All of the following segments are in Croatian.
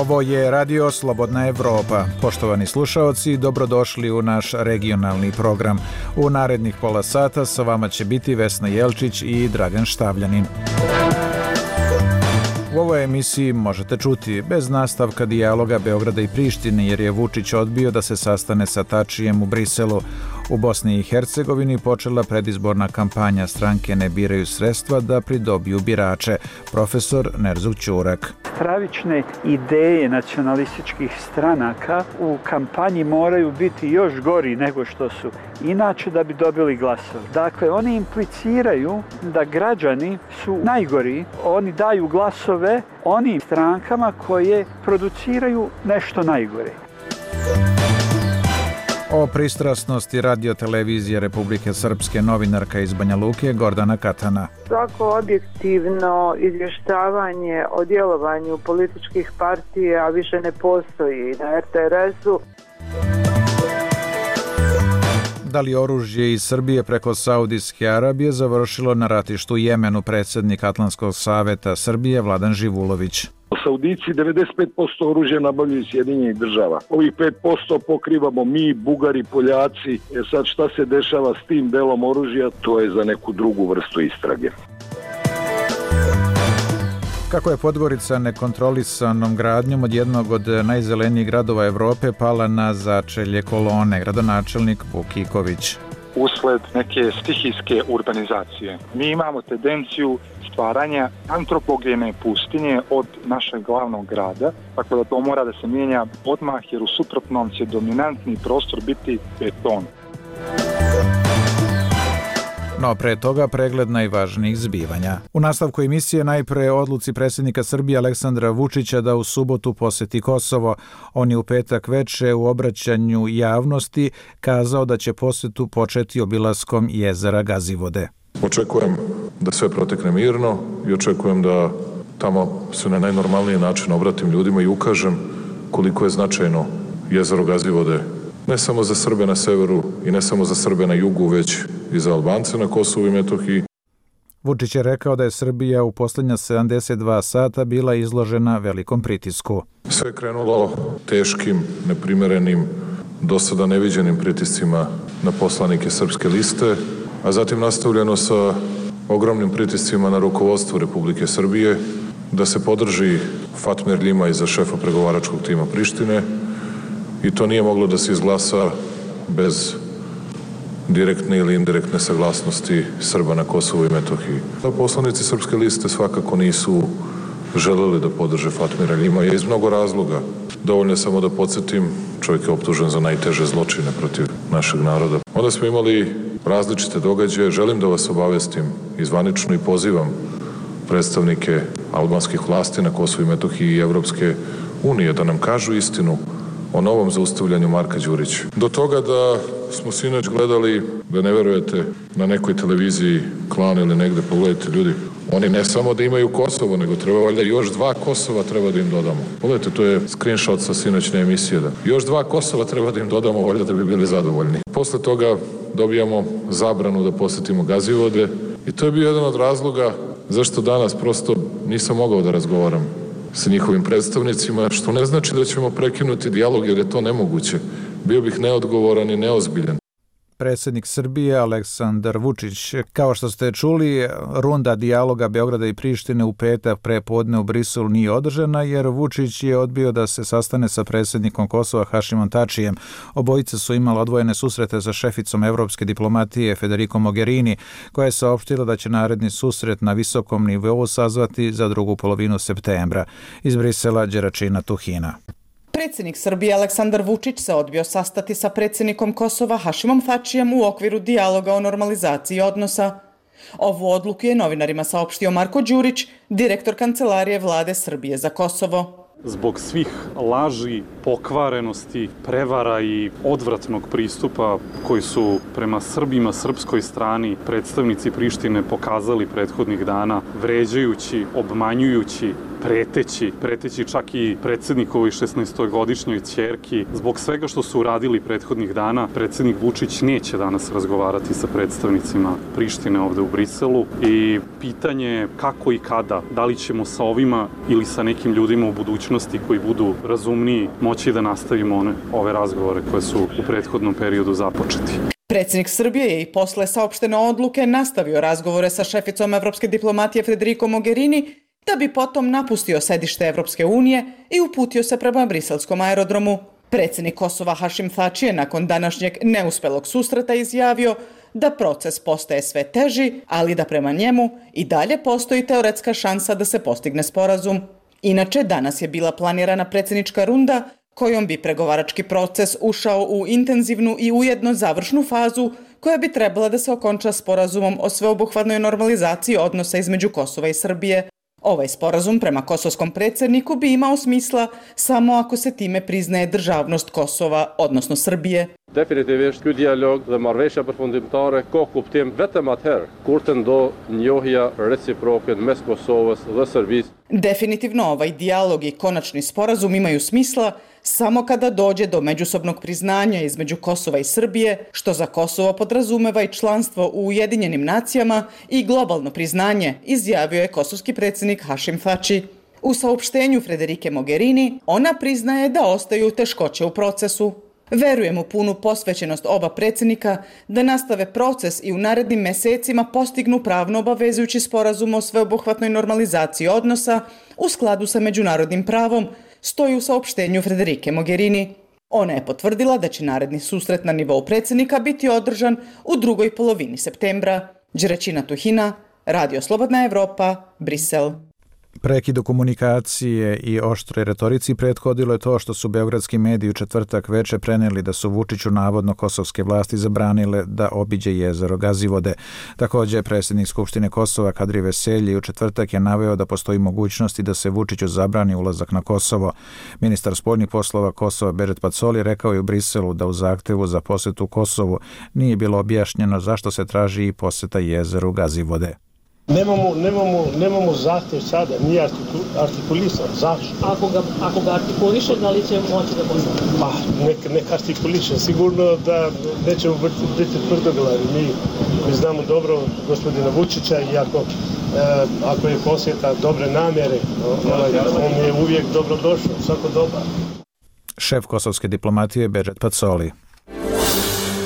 Ovo je Radio Slobodna Evropa. Poštovani slušaoci, dobrodošli u naš regionalni program. U narednih pola sata sa vama će biti Vesna Jelčić i Dragan Štavljanin. U ovoj emisiji možete čuti bez nastavka dijaloga Beograda i Prištine jer je Vučić odbio da se sastane sa Tačijem u Briselu. U Bosni i Hercegovini počela predizborna kampanja stranke Ne biraju sredstva da pridobiju birače. Profesor Nerzuk Ćurak. Stravične ideje nacionalističkih stranaka u kampanji moraju biti još gori nego što su inače da bi dobili glasove. Dakle, oni impliciraju da građani su najgori, oni daju glasove onim strankama koje produciraju nešto najgore. O pristrasnosti radiotelevizije Republike Srpske novinarka iz Banja Luke Gordana Katana. Svako objektivno izvještavanje o djelovanju političkih partija više ne postoji na RTS-u. Da li oružje iz Srbije preko Saudijske Arabije završilo na ratištu u Jemenu, predsjednik Atlantskog saveta Srbije Vladan Živulović. Saudici 95% oružja nabavljaju iz Sjedinjenih država. Ovih 5% pokrivamo mi, Bugari, Poljaci. Sad šta se dešava s tim delom oružja, to je za neku drugu vrstu istrage. Kako je Podgorica nekontrolisanom gradnjom od jednog od najzelenijih gradova Evrope pala na začelje kolone, gradonačelnik Vuk Iković. Usled neke stihijske urbanizacije. Mi imamo tendenciju stvaranja antropogene pustinje od našeg glavnog grada, tako da to mora da se mijenja odmah jer u suprotnom će dominantni prostor biti beton. No pre toga pregled najvažnijih zbivanja. U nastavku emisije najpre odluci predsjednika Srbije Aleksandra Vučića da u subotu posjeti Kosovo. On je u petak veče u obraćanju javnosti kazao da će posjetu početi obilaskom jezera Gazivode. Očekujem da sve protekne mirno i očekujem da tamo se na najnormalniji način obratim ljudima i ukažem koliko je značajno jezero Gazivode ne samo za Srbe na severu i ne samo za Srbe na jugu, već i za Albance na Kosovu i Metohiji. Vučić je rekao da je Srbija u posljednja 72 sata bila izložena velikom pritisku. Sve je krenulo teškim, neprimerenim, do sada neviđenim pritiscima na poslanike Srpske liste, a zatim nastavljeno sa ogromnim pritiscima na rukovodstvo Republike Srbije da se podrži Fatmir Ljimaj za šefa pregovaračkog tima Prištine i to nije moglo da se izglasa bez direktne ili indirektne saglasnosti Srba na Kosovu i Metohiji. Poslanici Srpske liste svakako nisu želeli da podrže Fatmira Ljimaja iz mnogo razloga. Dovoljno je samo da podsjetim, čovjek je optužen za najteže zločine protiv našeg naroda. Onda smo imali različite događaje. Želim da vas obavestim i zvanično i pozivam predstavnike albanskih vlasti na Kosovu i Metohiji i Evropske unije da nam kažu istinu o novom zaustavljanju Marka Đurića. Do toga da smo sinoć gledali, da ne verujete, na nekoj televiziji Klan ili negde, pogledajte ljudi, oni ne samo da imaju Kosovo, nego treba valjda još 2 Kosova treba da im dodamo. Pogledajte, to je screenshot sa sinoćne emisije. Da. Još 2 Kosova treba da im dodamo, valjda da bi bili zadovoljni. Posle toga dobijamo zabranu da posjetimo Gazivode i to je bio jedan od razloga zašto danas prosto nisam mogao da razgovaram sa njihovim predstavnicima, što ne znači da ćemo prekinuti dijalog jer je to nemoguće. Bio bih neodgovoran i neozbiljan. Predsjednik Srbije Aleksandar Vučić. Kao što ste čuli, runda dijaloga Beograda i Prištine u petak prepodne u Briselu nije održana jer Vučić je odbio da se sastane sa predsjednikom Kosova Hašimom Tačijem. Obojice su imali odvojene susrete sa šeficom evropske diplomatije Federico Mogherini, koja je saopštila da će naredni susret na visokom nivou sazvati za drugu polovinu septembra. Iz Brisela Đeračina Tuhina. Predsjednik Srbije Aleksandar Vučić se odbio sastati sa predsjednikom Kosova Hašimom Tačijem u okviru dijaloga o normalizaciji odnosa. Ovu odluku je novinarima saopštio Marko Đurić, direktor Kancelarije Vlade Srbije za Kosovo. Zbog svih laži, pokvarenosti, prevara i odvratnog pristupa koji su prema Srbima, srpskoj strani, predstavnici Prištine pokazali prethodnih dana, vređajući, obmanjujući preteći čak i predsjednikovoj 16-godišnjoj ćerki. Zbog svega što su uradili prethodnih dana, predsjednik Vučić neće danas razgovarati sa predstavnicima Prištine ovde u Briselu i pitanje je kako i kada, da li ćemo sa ovima ili sa nekim ljudima u budućnosti koji budu razumniji moći da nastavimo ove razgovore koje su u prethodnom periodu započeti. Predsjednik Srbije je i posle saopštene odluke nastavio razgovore sa šeficom evropske diplomatije Federico Mogherini, da bi potom napustio sedište Evropske unije i uputio se prema briselskom aerodromu. Predsjednik Kosova Hašim Thači je nakon današnjeg neuspelog susreta izjavio da proces postaje sve teži, ali da prema njemu i dalje postoji teoretska šansa da se postigne sporazum. Inače, danas je bila planirana predsjednička runda kojom bi pregovarački proces ušao u intenzivnu i ujedno završnu fazu koja bi trebala da se okonča sporazumom o sveobuhvatnoj normalizaciji odnosa između Kosova i Srbije. Ovaj sporazum prema kosovskom predsjedniku bi imao smisla samo ako se time priznaje državnost Kosova, odnosno Srbije. Definitivisht ky dialog dhe marrëveshja përfundimtare ka kuptim vetëm atëherë kur të ndodh njohja reciproke mes Kosovës dhe Serbisë. Definitivno ovaj dijalog i konačni sporazum imaju smisla samo kada dođe do međusobnog priznanja između Kosova i Srbije, što za Kosovo podrazumeva i članstvo u Ujedinjenim nacijama i globalno priznanje, izjavio je kosovski predsjednik Hašim Thači. U saopštenju Federike Mogherini ona priznaje da ostaju teškoće u procesu. Verujem u punu posvećenost oba predsjednika da nastave proces i u narednim mesecima postignu pravno obavezujući sporazum o sveobuhvatnoj normalizaciji odnosa u skladu sa međunarodnim pravom, stoji u saopštenju Federike Mogherini. Ona je potvrdila da će naredni susret na nivou predsjednika biti održan u drugoj polovini septembra. Đeraćina Tuhina, Radio Slobodna Evropa, Brisel. Prekidu komunikacije i oštroj retorici prethodilo je to što su beogradski mediji u četvrtak veče preneli da su Vučiću navodno kosovske vlasti zabranile da obiđe jezero Gazivode. Također, predsjednik Skupštine Kosova Kadri Veselji u četvrtak je naveo da postoji mogućnosti da se Vučiću zabrani ulazak na Kosovo. Ministar spoljnih poslova Kosova Bežet Pacoli rekao je u Briselu da u zahtevu za posjetu Kosovu nije bilo objašnjeno zašto se traži i posjeta jezeru Gazivode. Nemamo zahtjev sada, nije artikulisan. Zašto? Ako ga artikuliše, da li će moći da postane? Pa, nek artikuliše. Sigurno da nećemo biti tvrdoglavi. Mi znamo dobro gospodina Vučića i ako je posjeta dobre namjere, on je uvijek dobrodošao, svako dobar. Šef kosovske diplomatije Bežet Pacoli.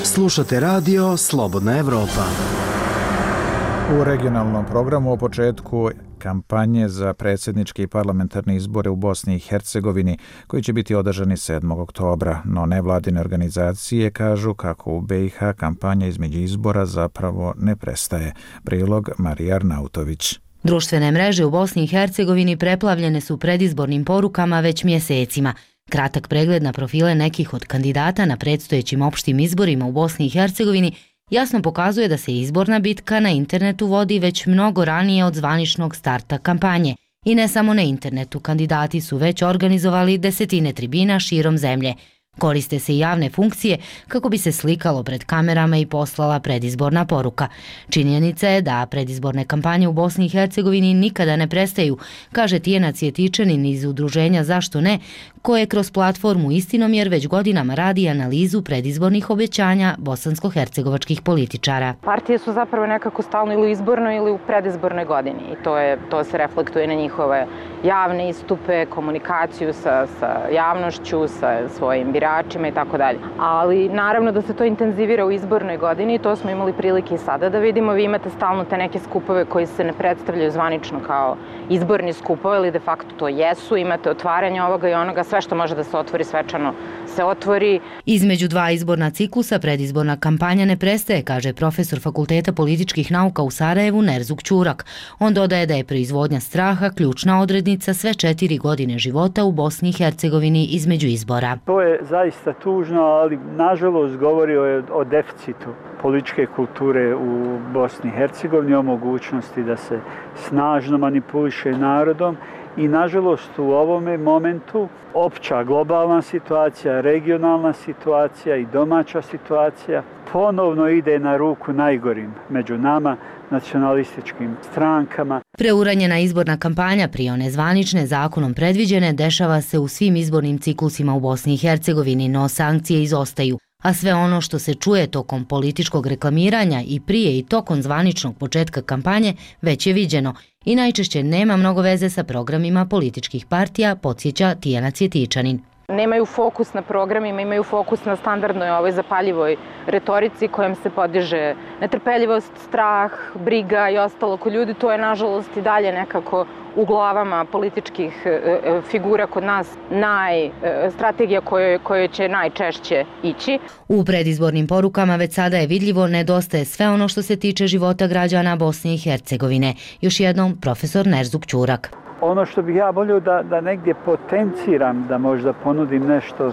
Slušate radio Slobodna Evropa. U regionalnom programu o početku kampanje za predsjedničke i parlamentarne izbore u Bosni i Hercegovini, koji će biti održani 7. oktobra, no nevladine organizacije kažu kako u BiH kampanja između izbora zapravo ne prestaje. Prilog Marija Arnautović. Društvene mreže u Bosni i Hercegovini preplavljene su predizbornim porukama već mjesecima. Kratak pregled na profile nekih od kandidata na predstojećim opštim izborima u Bosni i Hercegovini jasno pokazuje da se izborna bitka na internetu vodi već mnogo ranije od zvaničnog starta kampanje. I ne samo na internetu, kandidati su već organizovali desetine tribina širom zemlje. Koriste se i javne funkcije kako bi se slikalo pred kamerama i poslala predizborna poruka. Činjenica je da predizborne kampanje u Bosni i Hercegovini nikada ne prestaju, kaže Tijena Cvjetičanin iz udruženja Zašto ne, koje kroz platformu Istinomjer već godinama radi analizu predizbornih obećanja bosansko-hercegovačkih političara. Partije su zapravo nekako stalno ili u izbornoj ili u predizbornoj godini i to se reflektuje na njihove javne istupe, komunikaciju sa javnošću, sa svojim biračima i tako dalje. Ali naravno da se to intenzivira u izbornoj godini i to smo imali prilike i sada da vidimo. Vi imate stalno te neke skupove koji se ne predstavljaju zvanično kao izborni skupovi, ali de facto to jesu. Imate otvaranje ovoga i onoga, sve što može da se otvori svečano se otvori. Između dva izborna ciklusa predizborna kampanja ne prestaje, kaže profesor Fakulteta političkih nauka u Sarajevu Nerzuk Ćurak. On dodaje da je proizvodnja straha ključna odrednica sve 4 godine života u Bosni i Hercegovini između izbora. To je zaista tužno, ali nažalost govori o deficitu političke kulture u Bosni i Hercegovini, o mogućnosti da se snažno manipuliše narodom i nažalost u ovome momentu opća globalna situacija, regionalna situacija i domaća situacija ponovno ide na ruku najgorim među nama, nacionalističkim strankama. Preuranjena izborna kampanja prije one zvanične zakonom predviđene dešava se u svim izbornim ciklusima u Bosni i Hercegovini, no sankcije izostaju, a sve ono što se čuje tokom političkog reklamiranja i prije i tokom zvaničnog početka kampanje već je viđeno i najčešće nema mnogo veze sa programima političkih partija, podsjeća Tijana Cvjetičanin. Nemaju fokus na programima, imaju fokus na standardnoj ovoj zapaljivoj retorici kojom se podiže netrpeljivost, strah, briga i ostalo kod ljudi. To je nažalost i dalje nekako u glavama političkih figura kod nas strategija kojoj će najčešće ići. U predizbornim porukama već sada je vidljivo nedostaje sve ono što se tiče života građana Bosne i Hercegovine. Još jednom profesor Nerzuk Ćurak. Ono što bih ja volio da negdje potenciram, da možda ponudim nešto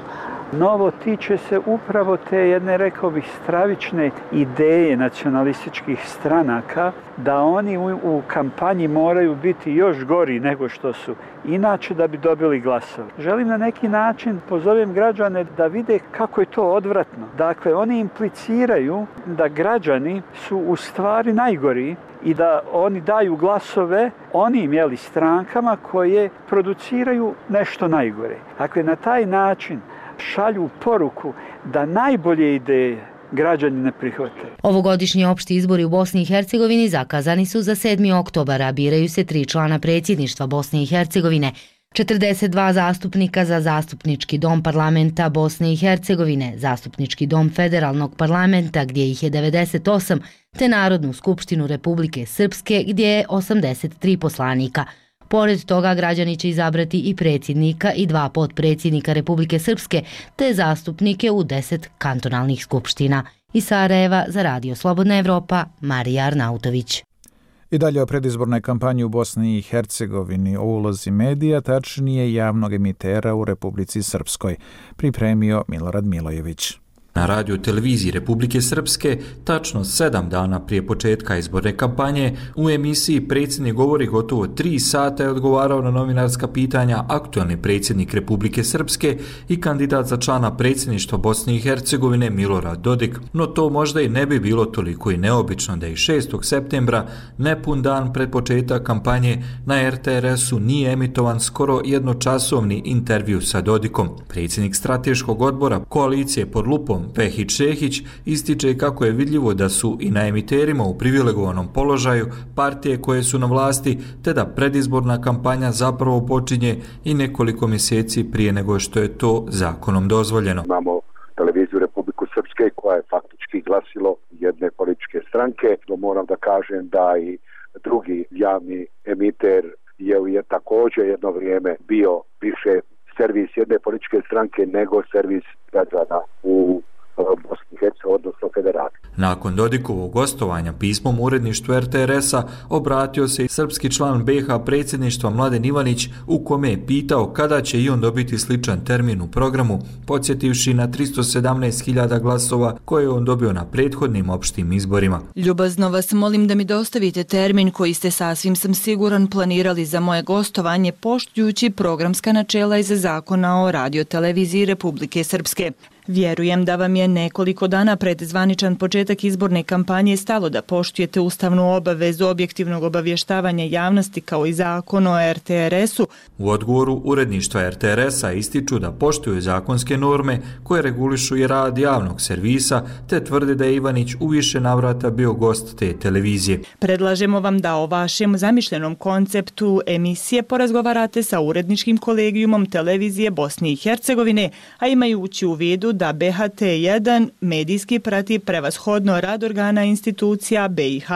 novo, tiče se upravo te jedne, rekao bih, stravične ideje nacionalističkih stranaka, da oni u kampanji moraju biti još gori nego što su inače da bi dobili glasove. Želim na neki način pozovem građane da vide kako je to odvratno. Dakle, oni impliciraju da građani su u stvari najgori i da oni daju glasove onim strankama koje produciraju nešto najgore. Dakle, na taj način šalju poruku da najbolje ideje građani ne prihvate. Ovogodišnji opšti izbori u Bosni i Hercegovini zakazani su za 7. oktobar, a biraju se 3 člana predsjedništva Bosne i Hercegovine, 42 zastupnika za Zastupnički dom parlamenta Bosne i Hercegovine, Zastupnički dom federalnog parlamenta gdje ih je 98, te Narodnu skupštinu Republike Srpske gdje je 83 poslanika. Pored toga građani će izabrati i predsjednika i 2 potpredsjednika Republike Srpske te zastupnike u 10 kantonalnih skupština. Iz Sarajeva za Radio Slobodna Evropa, Marija Arnautović. I dalje o predizbornoj kampanji u Bosni i Hercegovini, o ulozi medija, tačnije javnog emitera u Republici Srpskoj, pripremio Milorad Milojević. Na radio televiziji Republike Srpske, tačno 7 dana prije početka izborne kampanje, u emisiji Predsjednik govori gotovo 3 sata je odgovarao na novinarska pitanja aktualni predsjednik Republike Srpske i kandidat za člana predsjedništva Bosne i Hercegovine Milorad Dodik, no to možda i ne bi bilo toliko i neobično da i 6. septembra, nepun dan pred početak kampanje, na RTRS-u nije emitovan skoro jednočasovni intervju sa Dodikom. Predsjednik strateškog odbora koalicije pod lupom Vehić Šehić ističe kako je vidljivo da su i na emiterima u privilegovanom položaju partije koje su na vlasti, te da predizborna kampanja zapravo počinje i nekoliko mjeseci prije nego što je to zakonom dozvoljeno. Imamo televiziju Republiku Srpske koja je faktički glasilo jedne političke stranke. Moram da kažem da i drugi javni emiter je također jedno vrijeme bio više servis jedne političke stranke nego servis građana u Bosni i Hercegovini, odnosno Federaciji. Nakon Dodikovog gostovanja pismom uredništvu RTRS-a obratio se i srpski član BiH predsjedništva Mladen Ivanić, u kome je pitao kada će i on dobiti sličan termin u programu, podsjetivši na 317.000 glasova koje je on dobio na prethodnim opštim izborima. Ljubazno vas molim da mi dostavite termin koji ste, sasvim sam siguran, planirali za moje gostovanje poštujući programska načela iz Zakona o radioteleviziji Republike Srpske. Vjerujem da vam je nekoliko dana pred zvaničan početak izborne kampanje stalo da poštujete ustavnu obavezu objektivnog obavještavanja javnosti kao i zakon o RTRS-u. U odgovoru uredništva RTRS-a ističu da poštuju zakonske norme koje regulišu i rad javnog servisa, te tvrde da je Ivanić u više navrata bio gost te televizije. Predlažemo vam da o vašem zamišljenom konceptu emisije porazgovarate sa uredničkim kolegijumom televizije Bosne i Hercegovine, a imajući u vidu da BHT1 medijski prati prevashodno rad organa institucija BiH.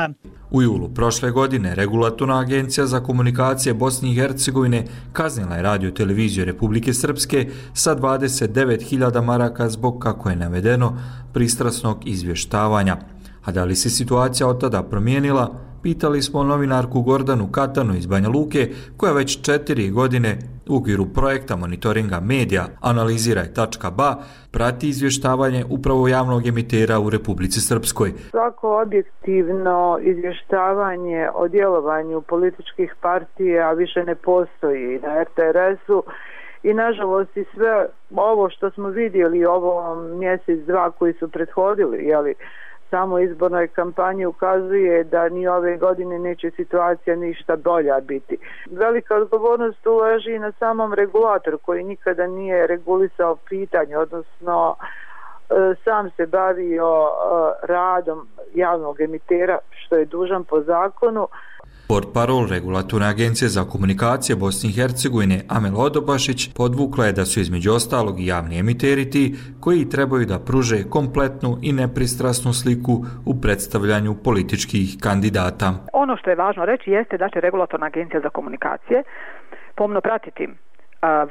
U julu prošle godine Regulatorna agencija za komunikacije Bosne i Hercegovine kaznila je radio televiziju Republike Srpske sa 29.000 maraka zbog, kako je navedeno, pristrasnog izvještavanja. A da li se situacija od tada promijenila? Pitali smo novinarku Gordanu Katanu iz Banja Luke, koja već 4 godine u okviru projekta monitoringa medija Analiziraj.ba prati izvještavanje upravo javnog emitera u Republici Srpskoj. Svako objektivno izvještavanje o djelovanju političkih partija više ne postoji na RTRS-u i nažalost i sve ovo što smo vidjeli ovo mjesec, dva koji su prethodili, samoj izbornoj kampanji ukazuje da ni ove godine neće situacija ništa bolja biti. Velika odgovornost leži na samom regulatoru koji nikada nije regulisao pitanje, odnosno sam se bavio radom javnog emitera što je dužan po zakonu. Portparol Regulatorne agencije za komunikacije Bosne i Hercegovine Amel Odobašić podvukla je da su između ostalog i javni emiteri ti koji trebaju da pruže kompletnu i nepristrasnu sliku u predstavljanju političkih kandidata. Ono što je važno reći jeste da će Regulatorna agencija za komunikacije pomno pratiti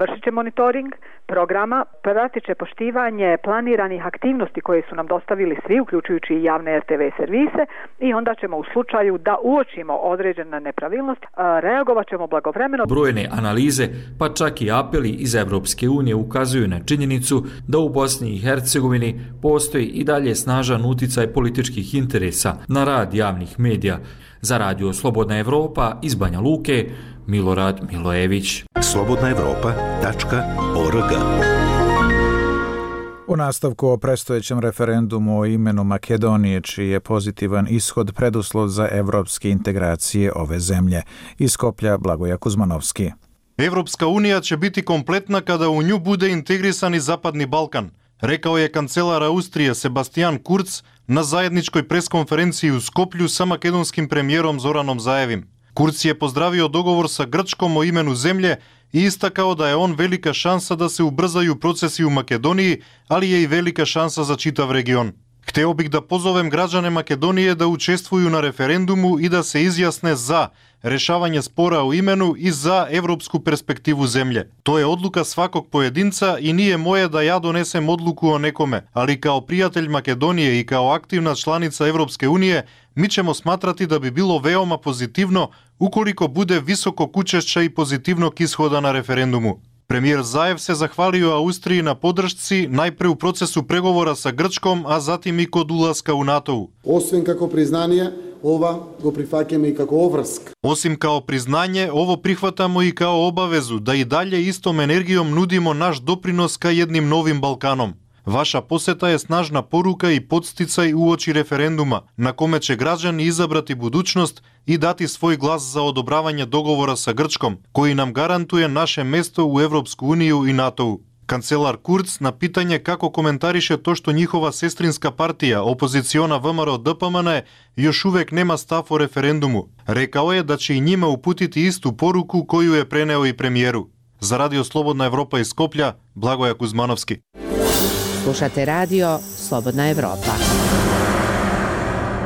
vršit će monitoring programa, pratit će poštivanje planiranih aktivnosti koje su nam dostavili svi, uključujući i javne RTV servise, i onda ćemo u slučaju da uočimo određena nepravilnost, reagovat ćemo blagovremeno. Brojne analize, pa čak i apeli iz Evropske unije ukazuju na činjenicu da u Bosni i Hercegovini postoji i dalje snažan uticaj političkih interesa na rad javnih medija. Za Radio Slobodna Evropa iz Banja Luke, Milorad Milojević. slobodnaevropa.org. U nastavku o predstojećem referendumu o imenu Makedonije, čiji je pozitivan ishod preduslov za evropske integracije ove zemlje. Iz Skoplja Blagoja Kuzmanovski. Evropska unija će biti kompletna kada u nju bude integrisan i Zapadni Balkan, rekao je kancelar Austrije Sebastian Kurz na zajedničkoj preskonferenciji u Skoplju sa makedonskim premijerom Zoranom Zaevim. Kurz je pozdravio dogovor sa Grčkom o imenu zemlje i istakao da je on velika šansa da se ubrzaju procesi u Makedoniji, ali je i velika šansa za čitav region. Hteo bih da pozovem građane Makedonije da učestvuju na referendumu i da se izjasne za rešavanje spora o imenu i za evropsku perspektivu zemlje. To je odluka svakog pojedinca i nije moje da ja donesem odluku o nekome, ali kao prijatelj Makedonije i kao aktivna članica Evropske unije, mi ćemo smatrati da bi bilo veoma pozitivno ukoliko bude visokog učešća i pozitivnog ishoda na referendumu. Premijer Zaev se zahvalio Austriji na podršci najpre u procesu pregovora sa Grčkom, a zatim i kod ulaska u NATO-u. Osim kako priznanje, ova go prihvaćamo i kako ovrsk. Osim kao priznanje, ovo prihvatamo i kao obavezu da i dalje istom energijom nudimo naš doprinos ka jednim novim Balkanom. Vaša poseta je snažna poruka i podsticaj uoči referenduma, na kome će građani izabrati budućnost i dati svoj glas za odobravanje dogovora sa Grčkom, koji nam garantuje naše mesto u Evropsku uniju i NATO-u. Kancelar Kurz na pitanje kako komentariše to što njihova sestrinska partija, opoziciona VMRO DPMN, još uvek nema stav o referendumu. Rekao je da će i njima uputiti istu poruku koju je preneo i premijeru. Za Radio Slobodna Evropa iz Skoplja, Blagoja Kuzmanovski. Slušate Radio Slobodna Evropa.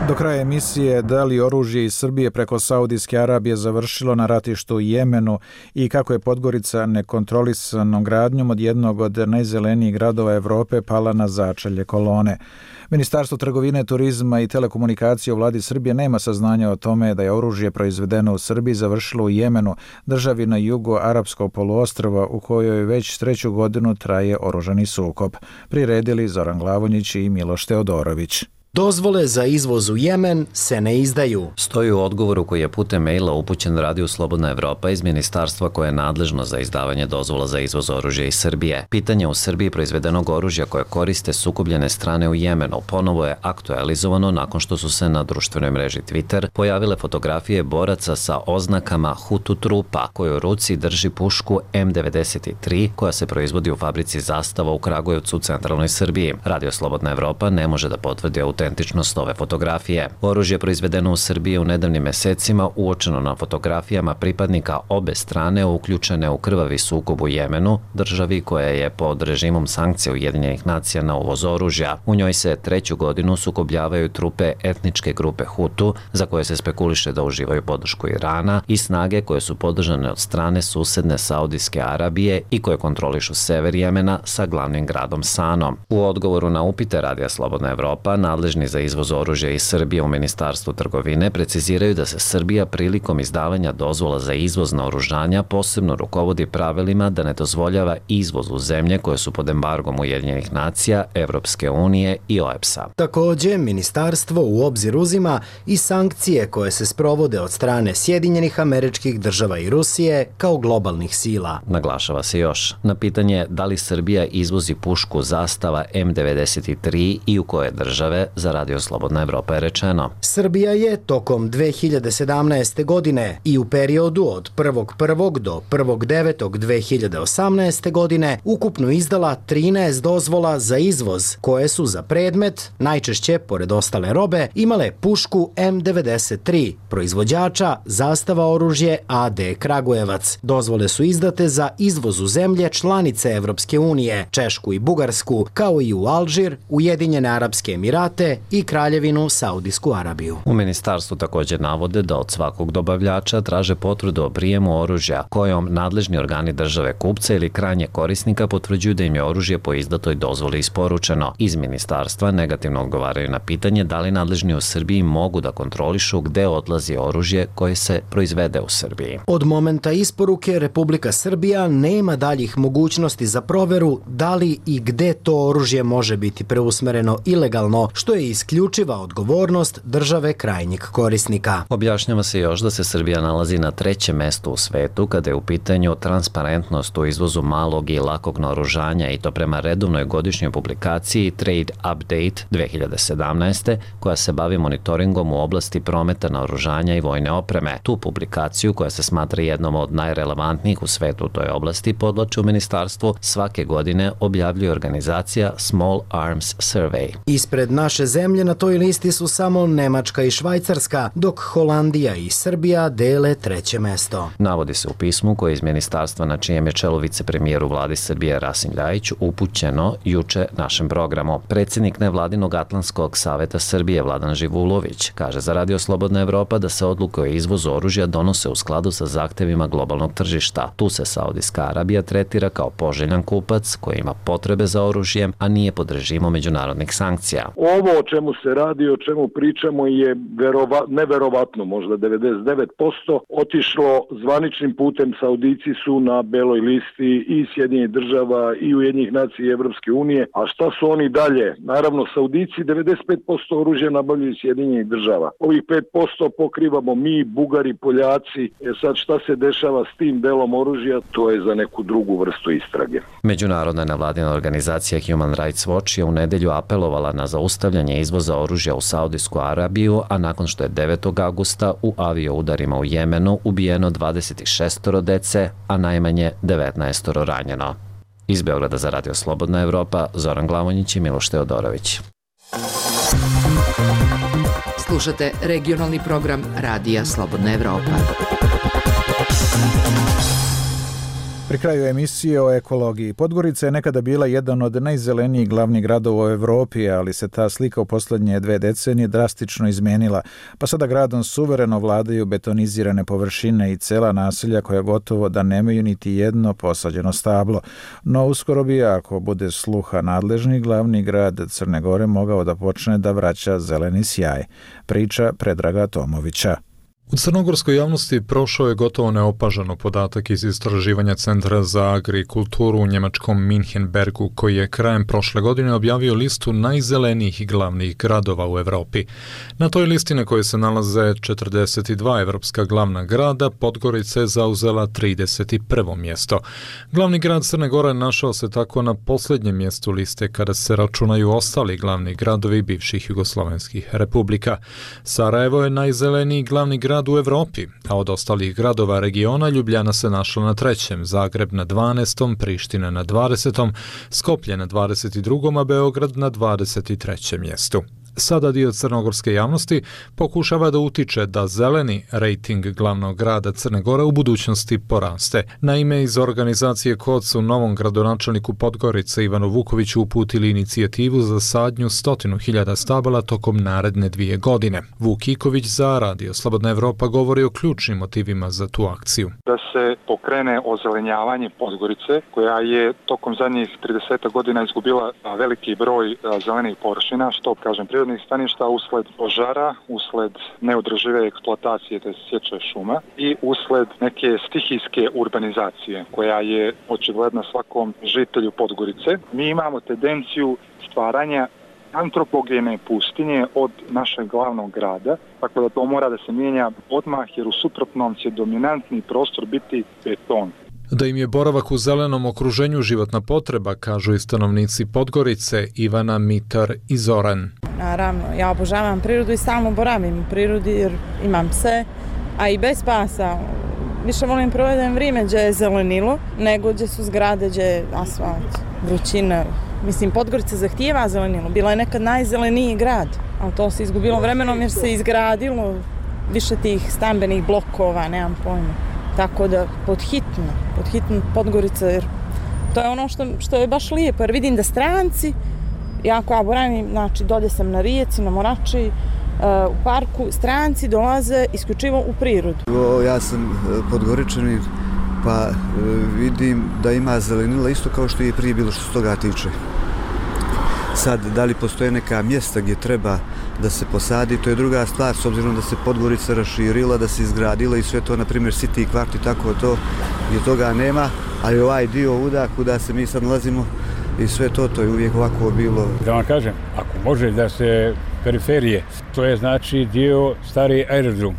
Do kraja emisije da li oružje iz Srbije preko Saudijske Arabije završilo na ratištu u Jemenu i kako je Podgorica nekontrolisanom gradnjom od jednog od najzelenijih gradova Evrope pala na začelje kolone. Ministarstvo trgovine, turizma i telekomunikacije u vladi Srbije nema saznanja o tome da je oružje proizvedeno u Srbiji završilo u Jemenu, državi na jugu Arapskog poluostrva u kojoj već 3. godinu traje oružani sukob. Priredili Zoran Glavonjić i Miloš Teodorović. Dozvole za izvoz u Jemen se ne izdaju. Stoji u odgovoru koji je putem maila upućen Radio Slobodna Evropa iz ministarstva koje je nadležno za izdavanje dozvola za izvoz oružja iz Srbije. Pitanje u Srbiji proizvedenog oružja koje koriste sukobljene strane u Jemenu ponovo je aktualizovano nakon što su se na društvenoj mreži Twitter pojavile fotografije boraca sa oznakama Hutu trupa koji u ruci drži pušku M93 koja se proizvodi u fabrici Zastava u Kragujevcu u centralnoj Srbiji. Radio Slobodna Evropa ne može da potvrdi autentičnost ove fotografije. Oružje proizvedeno u Srbiji u nedavnim mesecima uočeno na fotografijama pripadnika obe strane uključene u krvavi sukob u Jemenu, državi koja je pod režimom sankcija Ujedinjenih nacija na uvoz oružja. U njoj se 3. godinu sukobljavaju trupe etničke grupe Hutu, za koje se spekuliše da uživaju podršku Irana, i snage koje su podržane od strane susedne Saudijske Arabije i koje kontrolišu sever Jemena sa glavnim gradom Sanom. U odgovoru na upite Radija Slobodna Evropa, nadležni za izvoz oružja iz Srbije u Ministarstvu trgovine preciziraju da se Srbija prilikom izdavanja dozvola za izvoz naoružanja posebno rukovodi pravilima da ne dozvoljava izvoz u zemlje koje su pod embargom Ujedinjenih nacija, Evropske unije i OEBS-a. Takođe, ministarstvo u obzir uzima i sankcije koje se sprovode od strane Sjedinjenih Američkih Država i Rusije kao globalnih sila. Naglašava se još na pitanje da li Srbija izvozi pušku Zastava M93 i u koje države, za Radio Slobodna Evropa je rečeno. Srbija je tokom 2017. godine i u periodu od 1.1. do 1.9.2018. godine ukupno izdala 13 dozvola za izvoz koje su za predmet, najčešće pored ostale robe, imale pušku M93, proizvođača Zastava oružje AD Kragujevac. Dozvole su izdate za izvoz u zemlje članice Evropske unije, Češku i Bugarsku, kao i u Alžir, Ujedinjene Arapske Emirate i Kraljevinu Saudijsku Arabiju. U ministarstvu također navode da od svakog dobavljača traže potvrdu o prijemu oružja, kojom nadležni organi države kupca ili krajnje korisnika potvrđuju da im je oružje po izdatoj dozvoli isporučeno. Iz ministarstva negativno odgovaraju na pitanje da li nadležni u Srbiji mogu da kontrolišu gde odlazi oružje koje se proizvede u Srbiji. Od momenta isporuke Republika Srbija nema daljih mogućnosti za proveru da li i gde to oružje može biti preusmereno ilegalno, što je isključiva odgovornost države krajnjeg korisnika. Objašnjava se još da se Srbija nalazi na 3. mestu u svetu kada je u pitanju transparentnost u izvozu malog i lakog naoružanja, i to prema redovnoj godišnjoj publikaciji Trade Update 2017. koja se bavi monitoringom u oblasti prometa naoružanja i vojne opreme. Tu publikaciju, koja se smatra jednom od najrelevantnijih u svetu u toj oblasti, podvlači u ministarstvu, svake godine objavljuje organizacija Small Arms Survey. Ispred naše zemlje na toj listi su samo Nemačka i Švajcarska, dok Holandija i Srbija dele 3. mesto. Navodi se u pismu koje iz ministarstva, na čijem je čelu vicepremijer u vladi Srbije Rasim Ljajić, upućeno juče našem programu. Predsjednik nevladinog Atlantskog saveta Srbije Vladan Živulović kaže za Radio Slobodna Evropa da se odluke o izvozu oružja donose u skladu sa zahtevima globalnog tržišta. Tu se Saudijska Arabija tretira kao poželjan kupac koji ima potrebe za oružjem, a nije pod režimom međunarodnih sankcija. Ovo o čemu se radi, o čemu pričamo je neverovatno, možda 99% otišlo zvaničnim putem. Saudijci su na beloj listi i Sjedinjenih država i Ujedinjenih nacija i Evropske unije. A šta su oni dalje? Naravno, Saudijci 95% oružja nabavljaju Sjedinjenih država. Ovih 5% pokrivamo mi, Bugari, Poljaci. Sad šta se dešava s tim delom oružja, to je za neku drugu vrstu istrage. Međunarodna nevladina organizacija Human Rights Watch je u nedelju apelovala na zaustavljanje izvoza oružja u Saudijsku Arabiju, a nakon što je 9. augusta u avioudarima u Jemenu ubijeno 26 dece, a najmanje 19 ranjeno. Iz Beograda za Radio Slobodna Evropa, Zoran Glavonjić i Miloš Teodorović. Slušate regionalni program Radija Slobodna Evropa. Pri kraju emisije o ekologiji. Podgorica je nekada bila jedan od najzelenijih glavnih gradova u Evropi, ali se ta slika u posljednje 2 decenije drastično izmenila, pa sada gradom suvereno vladaju betonizirane površine i cela naselja koja gotovo da nemaju niti jedno posađeno stablo. No uskoro bi, ako bude sluha nadležni, glavni grad Crne Gore mogao da počne da vraća zeleni sjaj. Priča Predraga Tomovića. U crnogorskoj javnosti prošao je gotovo neopažano podatak iz istraživanja Centra za agrikulturu u njemačkom Minhenbergu, koji je krajem prošle godine objavio listu najzelenijih glavnih gradova u Evropi. Na toj listi, na kojoj se nalaze 42 evropska glavna grada, Podgorica je zauzela 31. mjesto. Glavni grad Crne Gore našao se tako na posljednjem mjestu liste kada se računaju ostali glavni gradovi bivših jugoslovenskih republika. Sarajevo je najzeleniji glavni grad u Evropi, a od ostalih gradova regiona Ljubljana se našla na 3., Zagreb na 12., Priština na 20., Skoplje na 22., a Beograd na 23. mjestu. Sada dio crnogorske javnosti pokušava da utiče da zeleni rejting glavnog grada Crne Gore u budućnosti poraste. Naime, iz organizacije KOD su novom gradonačelniku Podgorice Ivanu Vukoviću uputili inicijativu za sadnju 100.000 stabala tokom naredne 2 godine. Vuk Iković za Radio Slobodna Evropa govori o ključnim motivima za tu akciju. Da se pokrene ozelenjavanje Podgorice, koja je tokom zadnjih 30 godina izgubila veliki broj zelenih površina, što kažem prirodnih staništa usled požara, usled neodržive eksploatacije te sječe šuma i usled neke stihijske urbanizacije koja je očigledna svakom žitelju Podgorice. Mi imamo tendenciju stvaranja antropogene pustinje od našeg glavnog grada, tako da to mora da se mijenja odmah, jer u suprotnom će dominantni prostor biti beton. Da im je boravak u zelenom okruženju životna potreba, kažu i stanovnici Podgorice Ivana, Mitar i Zoran. naravno. Ja obožavam prirodu i stalno boravim u prirodi jer imam pse, a i bez pasa. Više volim provedem vrijeme gdje je zelenilo, nego gdje su zgrade, gdje je asfalt, vrućina. Mislim, Podgorica zahtijeva zelenilo. Bila je nekad najzeleniji grad, ali to se izgubilo vremenom jer se izgradilo više tih stambenih blokova, nemam pojma. Tako da podhitno Podgorica, jer to je ono što je baš lijepo, jer vidim da stranci, ja koja boravim, znači dolje sam na Rijeci, na Morači, u parku, stranci dolaze isključivo u prirodu. Ja sam Podgoričanin, pa vidim da ima zelenila isto kao što je prije bilo što se toga tiče. Sad, da li postoje neka mjesta gdje treba da se posadi, to je druga stvar, s obzirom da se Podgorica raširila, da se izgradila i sve to, na primjer City kvart i tako to, gdje toga nema, ali ovaj dio uda kuda se mi sad nalazimo i sve to je uvijek ovako bilo. Da vam kažem, ako može da se periferije, to je znači dio stari aerodrom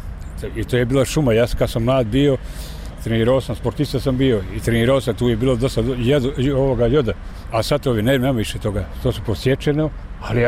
i to je bila šuma. Ja kad sam mlad bio, trenirao sam, sportista sam bio i trenirao sam, tu je bilo dosta joda, a sad to nema više toga, to su posjećeno, ali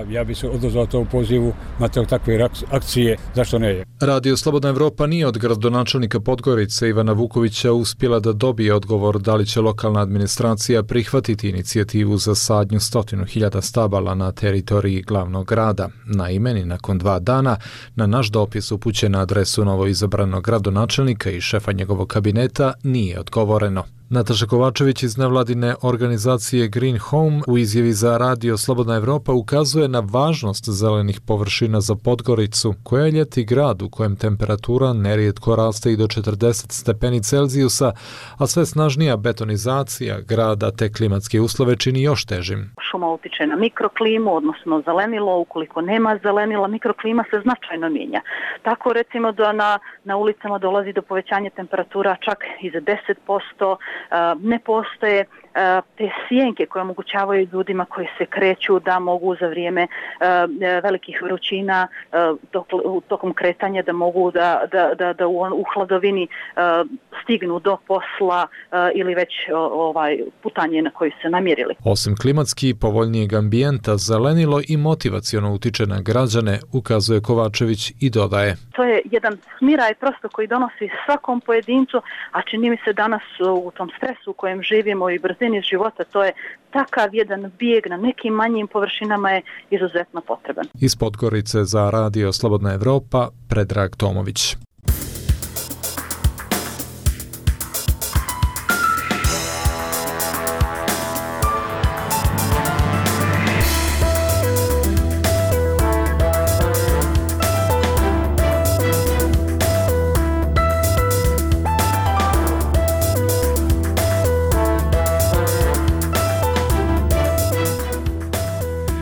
ja bi se odazvao to u pozivu na takve akcije, zašto ne je. Radio Slobodna Evropa nije od gradonačelnika Podgorice Ivana Vukovića uspjela da dobije odgovor da li će lokalna administracija prihvatiti inicijativu za sadnju 100.000 stabala na teritoriji glavnog grada. Naime, ni nakon 2 dana na naš dopis upućen na adresu novoizabranog gradonačelnika i šefa njegovog kabineta nije odgovoreno. Nataša Kovačević iz nevladine organizacije Green Home u izjavi za Radio Slobodna Evropa ukazuje na važnost zelenih površina za Podgoricu, koja je ljeti grad u kojem temperatura nerijetko raste i do 40 stepeni Celzijusa, a sve snažnija betonizacija grada te klimatske uslove čini još težim. Šuma utiče na mikroklimu, odnosno zelenilo. Ukoliko nema zelenila, mikroklima se značajno mijenja. Tako recimo da na ulicama dolazi do povećanja temperatura čak i za 10%, ne postoje te sjenke koje omogućavaju ljudima koji se kreću da mogu za vrijeme velikih vrućina tokom kretanja da mogu da u hladovini stignu do posla ili već putanje na koji se namjerili. Osim klimatski povoljnijeg ambijenta, zelenilo i motivaciono utiče na građane, ukazuje Kovačević i dodaje. To je jedan smiraj prosto koji donosi svakom pojedincu, a čini mi se danas u tom stresu u kojem živimo i brzini života, to je takav jedan bijeg na nekim manjim površinama je izuzetno potreban. Iz Podgorice za Radio Slobodna Evropa, Predrag Tomović.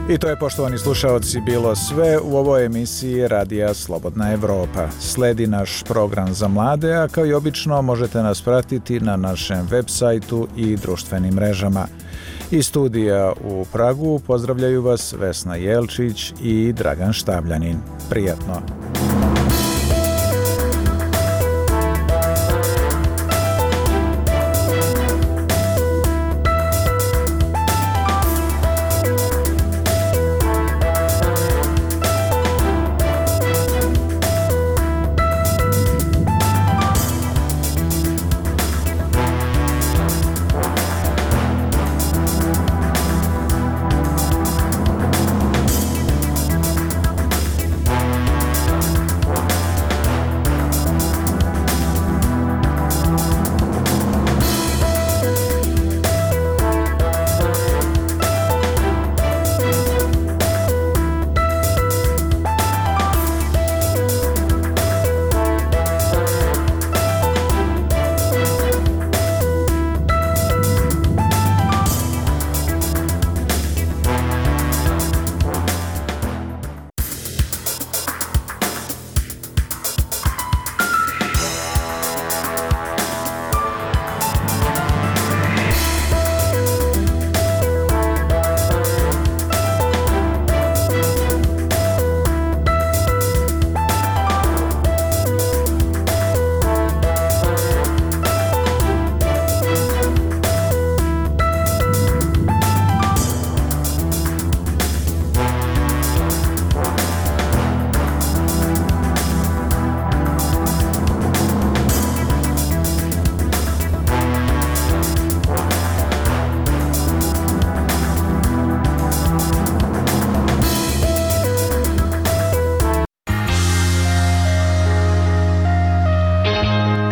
I to je, poštovani slušaoci, bilo sve u ovoj emisiji Radija Slobodna Evropa. Sledi naš program za mlade, a kao i obično možete nas pratiti na našem web sajtu i društvenim mrežama. Iz studija u Pragu pozdravljaju vas Vesna Jelčić i Dragan Štabljanin. Prijatno!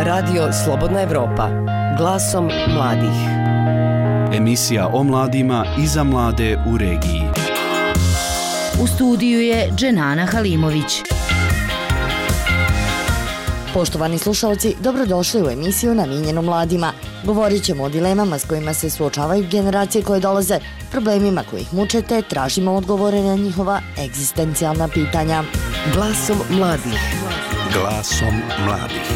Radio Slobodna Evropa, glasom mladih. Emisija o mladima i za mlade u regiji. U studiju je Dženana Halimović. Poštovani slušalci, dobrodošli u emisiju namijenjenu mladima. Govorit ćemo o dilemama s kojima se suočavaju generacije koje dolaze, problemima koji ih muče, te tražimo odgovore na njihova egzistencijalna pitanja. Glasom mladih. Glasom mladih.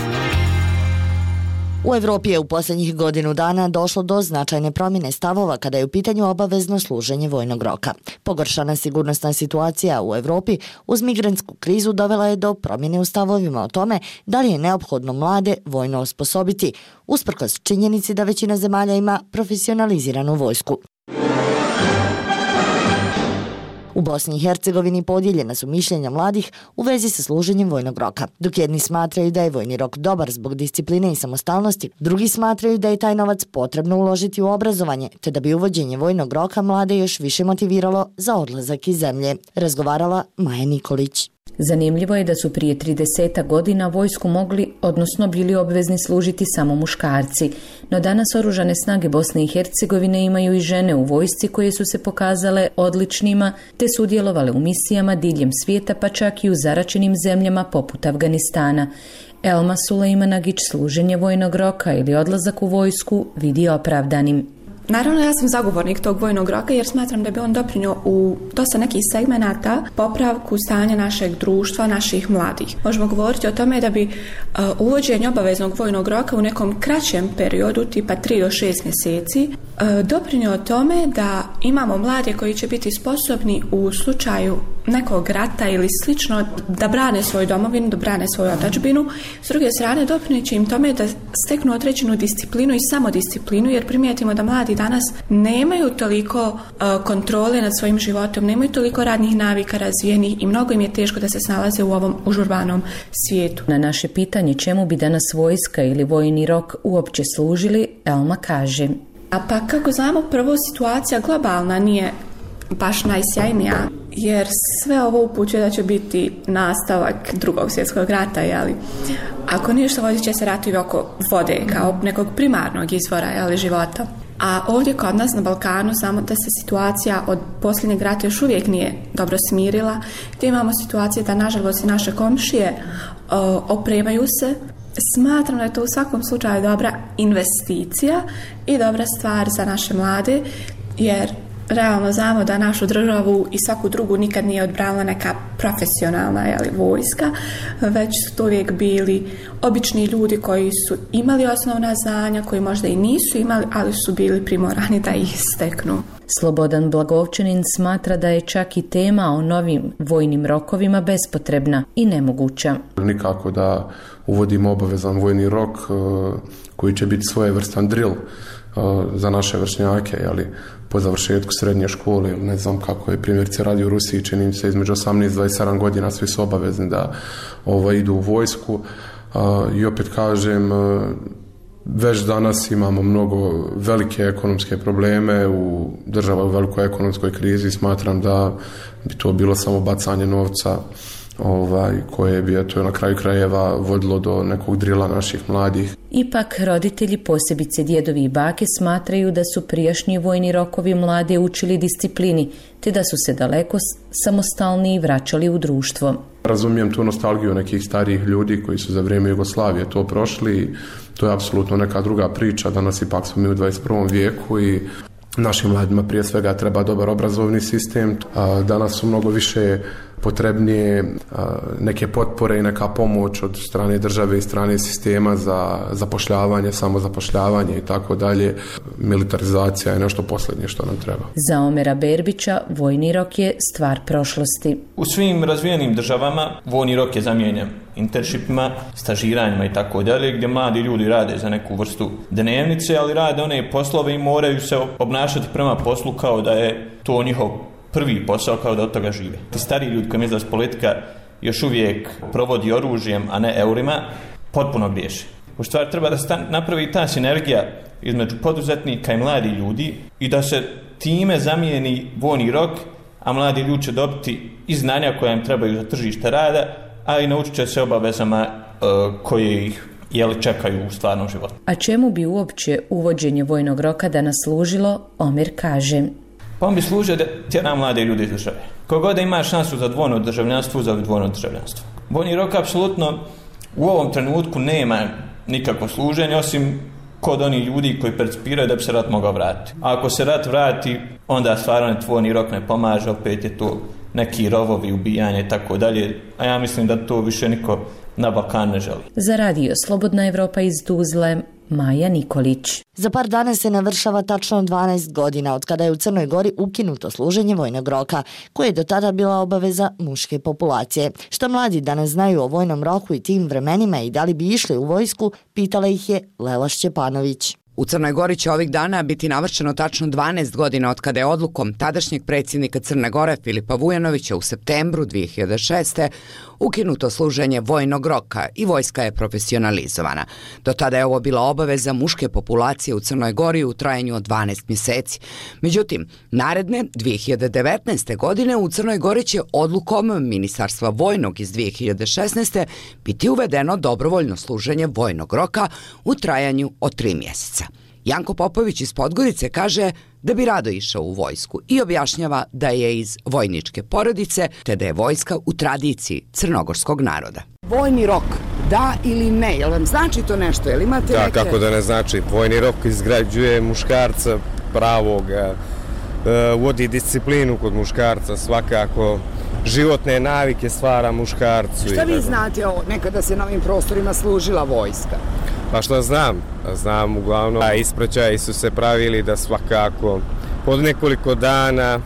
U Evropi je u posljednjih godinu dana došlo do značajne promjene stavova kada je u pitanju obavezno služenje vojnog roka. Pogoršana sigurnosna situacija u Evropi uz migrantsku krizu dovela je do promjene u stavovima o tome da li je neophodno mlade vojno osposobiti, usprkos činjenici da većina zemalja ima profesionaliziranu vojsku. U Bosni i Hercegovini podijeljena su mišljenja mladih u vezi sa služenjem vojnog roka. Dok jedni smatraju da je vojni rok dobar zbog discipline i samostalnosti, drugi smatraju da je taj novac potrebno uložiti u obrazovanje, te da bi uvođenje vojnog roka mlade još više motiviralo za odlazak iz zemlje. Razgovarala Maja Nikolić. Zanimljivo je da su prije 30 godina vojsku mogli, odnosno bili obvezni služiti samo muškarci. No danas oružane snage Bosne i Hercegovine imaju i žene u vojsci koje su se pokazale odličnima, te sudjelovale u misijama diljem svijeta, pa čak i u zaračenim zemljama poput Afganistana. Elma Sulejmanagić služenje vojnog roka ili odlazak u vojsku vidi opravdanim. Naravno, ja sam zagovornik tog vojnog roka jer smatram da bi on doprinio u dosta nekih segmenata popravku stanja našeg društva, naših mladih. Možemo govoriti o tome da bi uvođenje obaveznog vojnog roka u nekom kraćem periodu, tipa 3 do 6 mjeseci, doprinio tome da imamo mlade koji će biti sposobni u slučaju nekog rata ili slično da brane svoju domovinu, da brane svoju otadžbinu. S druge strane, doprinit će im tome da steknu određenu disciplinu i samodisciplinu, jer primijetimo da mladi danas nemaju toliko kontrole nad svojim životom, nemaju toliko radnih navika razvijenih i mnogo im je teško da se snalaze u ovom užurbanom svijetu. Na naše pitanje čemu bi danas vojska ili vojni rok uopće služili, Elma kaže: A pa kako znamo, prvo situacija globalna nije baš najsjajnija, jer sve ovo upućuje da će biti nastavak Drugog svjetskog rata, jeli? Ako ništa, vodit će se ratovi oko vode kao nekog primarnog izvora, jeli, života. A ovdje kod nas na Balkanu znamo da se situacija od posljednjeg rata još uvijek nije dobro smirila, gdje imamo situacije da nažalost i naše komšije opremaju se. Smatram da je to u svakom slučaju dobra investicija i dobra stvar za naše mlade, jer realno znamo da našu državu i svaku drugu nikad nije odbranila neka profesionalna vojska, već su to uvijek bili obični ljudi koji su imali osnovna znanja, koji možda i nisu imali, ali su bili primorani da ih steknu. Slobodan Blagovčanin smatra da je čak i tema o novim vojnim rokovima bespotrebna i nemoguća. Nikako da uvodimo obavezan vojni rok koji će biti svojevrstan drill za naše vršnjake, jeli, po završetku srednje škole, ne znam kako je primjerice radi u Rusiji, čini se između 18 i 27 godina svi su obavezni da idu u vojsku. I opet kažem, već danas imamo mnogo velike ekonomske probleme, u država u velikoj ekonomskoj krizi, smatram da bi to bilo samo bacanje novca koje bi na kraju krajeva vodilo do nekog drila naših mladih. Ipak roditelji, posebice djedovi i bake, smatraju da su prijašnji vojni rokovi mlade učili disciplini, te da su se daleko samostalniji vraćali u društvo. Razumijem tu nostalgiju nekih starijih ljudi koji su za vrijeme Jugoslavije to prošli. To je apsolutno neka druga priča. Danas ipak smo mi u 21. vijeku i našim mladima prije svega treba dobar obrazovni sistem. Danas su mnogo više potrebnije neke potpore i neka pomoć od strane države i strane sistema za zapošljavanje, samozapošljavanje i tako dalje. Militarizacija je nešto posljednje što nam treba. Za Omera Berbića vojni rok je stvar prošlosti. U svim razvijenim državama vojni rok je zamijenjen internshipima, stažiranjima i tako dalje, gdje mladi ljudi rade za neku vrstu dnevnice, ali rade one poslove i moraju se obnašati prema poslu kao da je to njihov prvi posao, kao da od toga žive. Ti stariji ljudi koji misle da politika još uvijek provodi oružjem, a ne eurima, potpuno griješe. U stvari treba da napravi ta sinergija između poduzetnika i mladi ljudi i da se time zamijeni vojni rok, a mladi ljudi će dobiti i znanja koja im trebaju za tržište rada, a i naučit će se obavezama koje ih čekaju u stvarnom životu. A čemu bi uopće uvođenje vojnog roka danas služilo, Omer kaže. Pa on bi služio da tjera mlade ljude iz države. Kogod da ima šansu za dvojno državljanstvo, za dvojno državljanstvo. Vojni rok apsolutno u ovom trenutku nema nikakvo služenje, osim kod onih ljudi koji percipiraju da bi se rat mogao vratiti. A ako se rat vrati, onda stvarno vojni rok ne pomaže, opet je to neki rovovi, ubijanje i tako dalje. A ja mislim da to više niko na Balkanu ne želi. Za radio Slobodna Evropa iz Tuzle, Maja Nikolić. Za par dana se navršava tačno 12 godina od kada je u Crnoj Gori ukinuto služenje vojnog roka, koje je do tada bila obaveza muške populacije. Što mladi danas znaju o vojnom roku i tim vremenima i da li bi išli u vojsku, pitala ih je Lela Šćepanović. U Crnoj Gori će ovih dana biti navršeno tačno 12 godina od kada je odlukom tadašnjeg predsjednika Crne Gore Filipa Vujanovića u septembru 2006. ukinuto služenje vojnog roka i vojska je profesionalizovana. Do tada je ovo bila obaveza muške populacije u Crnoj Gori u trajanju od 12 mjeseci. Međutim, naredne 2019. godine u Crnoj Gori će odlukom Ministarstva vojnog iz 2016. biti uvedeno dobrovoljno služenje vojnog roka u trajanju od 3 mjeseca. Janko Popović iz Podgorice kaže da bi rado išao u vojsku i objašnjava da je iz vojničke porodice te da je vojska u tradiciji crnogorskog naroda. Vojni rok, da ili ne, jel vam znači to nešto? Jel imate da, neke... kako da ne znači. Vojni rok izgrađuje muškarca pravog, vodi disciplinu kod muškarca, svakako životne navike stvara muškarcu. Šta vi znate o nekada se na ovim prostorima služila vojska? Pa što znam uglavnom, ispraćaji su se pravili da svakako pod nekoliko dana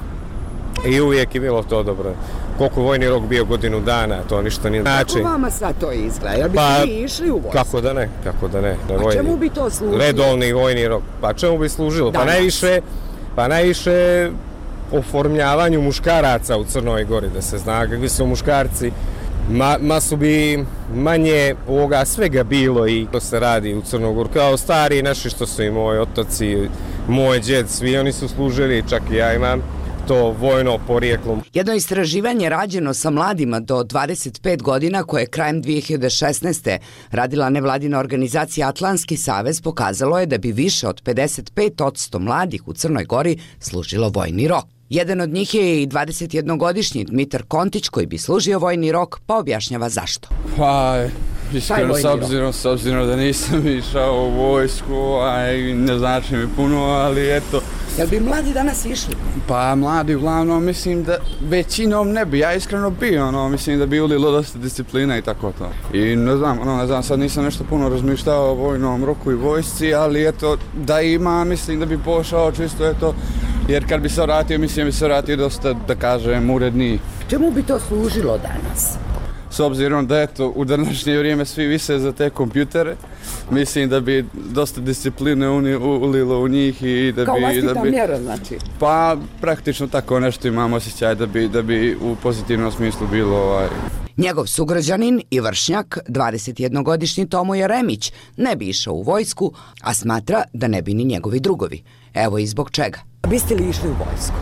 i uvijek je bilo to dobro. Koliko vojni rok bio godinu dana, to ništa nije znači. Kako vama sad to izgleda? Jel biste vi išli u vojsku? Kako da ne. A čemu bi to služilo? Redovni vojni rok. Pa čemu bi služilo? Pa najviše oformljavanju muškaraca u Crnoj Gori, da se zna kakvi su muškarci. Masu bi manje ovoga svega bilo i to se radi u Crnogoru. Kao stari naši što su i moji otaci, moj djed, svi oni su služili, čak i ja imam to vojno porijeklo. Jedno istraživanje rađeno sa mladima do 25 godina koje je krajem 2016. radila nevladina organizacija Atlantski savez pokazalo je da bi više od 55% mladih u Crnoj Gori služilo vojni rok. Jedan od njih je i 21-godišnji Dmitar Kontić koji bi služio vojni rok, pa objašnjava zašto. Pa, iskreno, s obzirom da nisam išao u vojsku, ne znači mi puno, ali eto. Jel bi mladi danas išli? Pa, mladi uglavnom, mislim da većinom ne bi, ja iskreno bi, mislim da bi ulilo dosta disciplina i tako to. I ne znam, sad nisam nešto puno razmišljao o vojnom roku i vojsci, ali eto, da ima, mislim da bi pošao čisto, eto, jer kad bi se vratio, mislim da bi se vratio dosta, da kažem, uredniji. Čemu bi to služilo danas? S obzirom da eto, u današnje vrijeme svi vise za te kompjutere, mislim da bi dosta discipline ulilo u njih i da bi... Kao vlastita mjera, znači? Pa, praktično tako nešto imam osjećaj da bi u pozitivnom smislu bilo... Njegov sugrađanin i vršnjak, 21-godišnji Tomo Jeremić, ne bi išao u vojsku, a smatra da ne bi ni njegovi drugovi. Evo i zbog čega. Biste li išli u vojsku?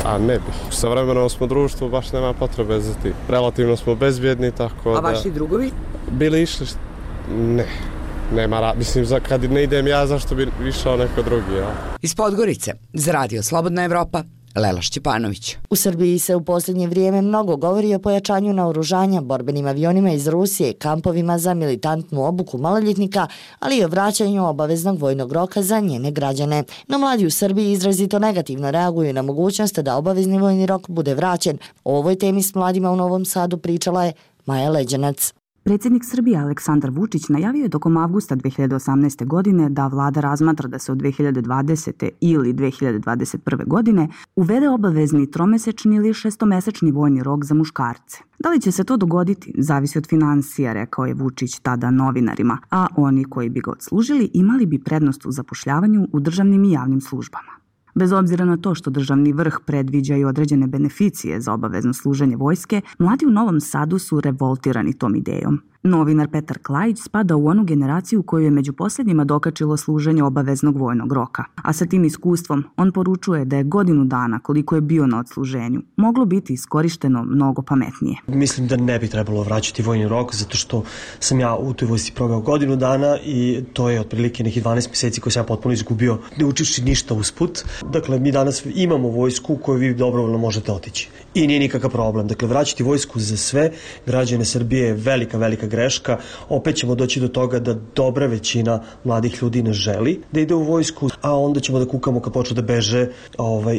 A ne bih. Sa vremenom smo društvo, baš nema potrebe za ti. Relativno smo bezbjedni, tako da... A vaši drugovi? Bili išli... Ne. Nema mislim, kad ne idem ja, zašto bi išao neko drugi, ja? Iz Podgorice, za radio Slobodna Evropa, Lela Šćepanović. U Srbiji se u posljednje vrijeme mnogo govori o pojačanju naoružanja borbenim avionima iz Rusije, kampovima za militantnu obuku maloljetnika, ali i o vraćanju obaveznog vojnog roka za njene građane. No mladi u Srbiji izrazito negativno reaguju na mogućnost da obavezni vojni rok bude vraćen. O ovoj temi s mladima u Novom Sadu pričala je Maja Leđanac. Predsjednik Srbije Aleksandar Vučić najavio je tokom avgusta 2018. godine da vlada razmatra da se od 2020. ili 2021. godine uvede obavezni tromesečni ili šestomesečni vojni rok za muškarce. Da li će se to dogoditi, zavisi od financija, rekao je Vučić tada novinarima, a oni koji bi ga odslužili imali bi prednost u zapošljavanju u državnim i javnim službama. Bez obzira na to što državni vrh predviđa i određene beneficije za obavezno služenje vojske, mladi u Novom Sadu su revoltirani tom idejom. Novinar Petar Klajić spada u onu generaciju koju je među posljednjima dokačilo služenje obaveznog vojnog roka. A sa tim iskustvom on poručuje da je godinu dana koliko je bio na odsluženju moglo biti iskorišteno mnogo pametnije. Mislim da ne bi trebalo vraćati vojni rok zato što sam ja u toj vojsci proveo godinu dana i to je otprilike nekih 12 mjeseci koje sam ja potpuno izgubio ne učivši ništa usput. Dakle, mi danas imamo vojsku u kojoj vi dobrovoljno možete otići. I nije nikakav problem. Dakle, vraćati vojsku za sve građane Srbije je velika greška. Opet ćemo doći do toga da dobra većina mladih ljudi ne želi da ide u vojsku, a onda ćemo da kukamo kad počnu da beže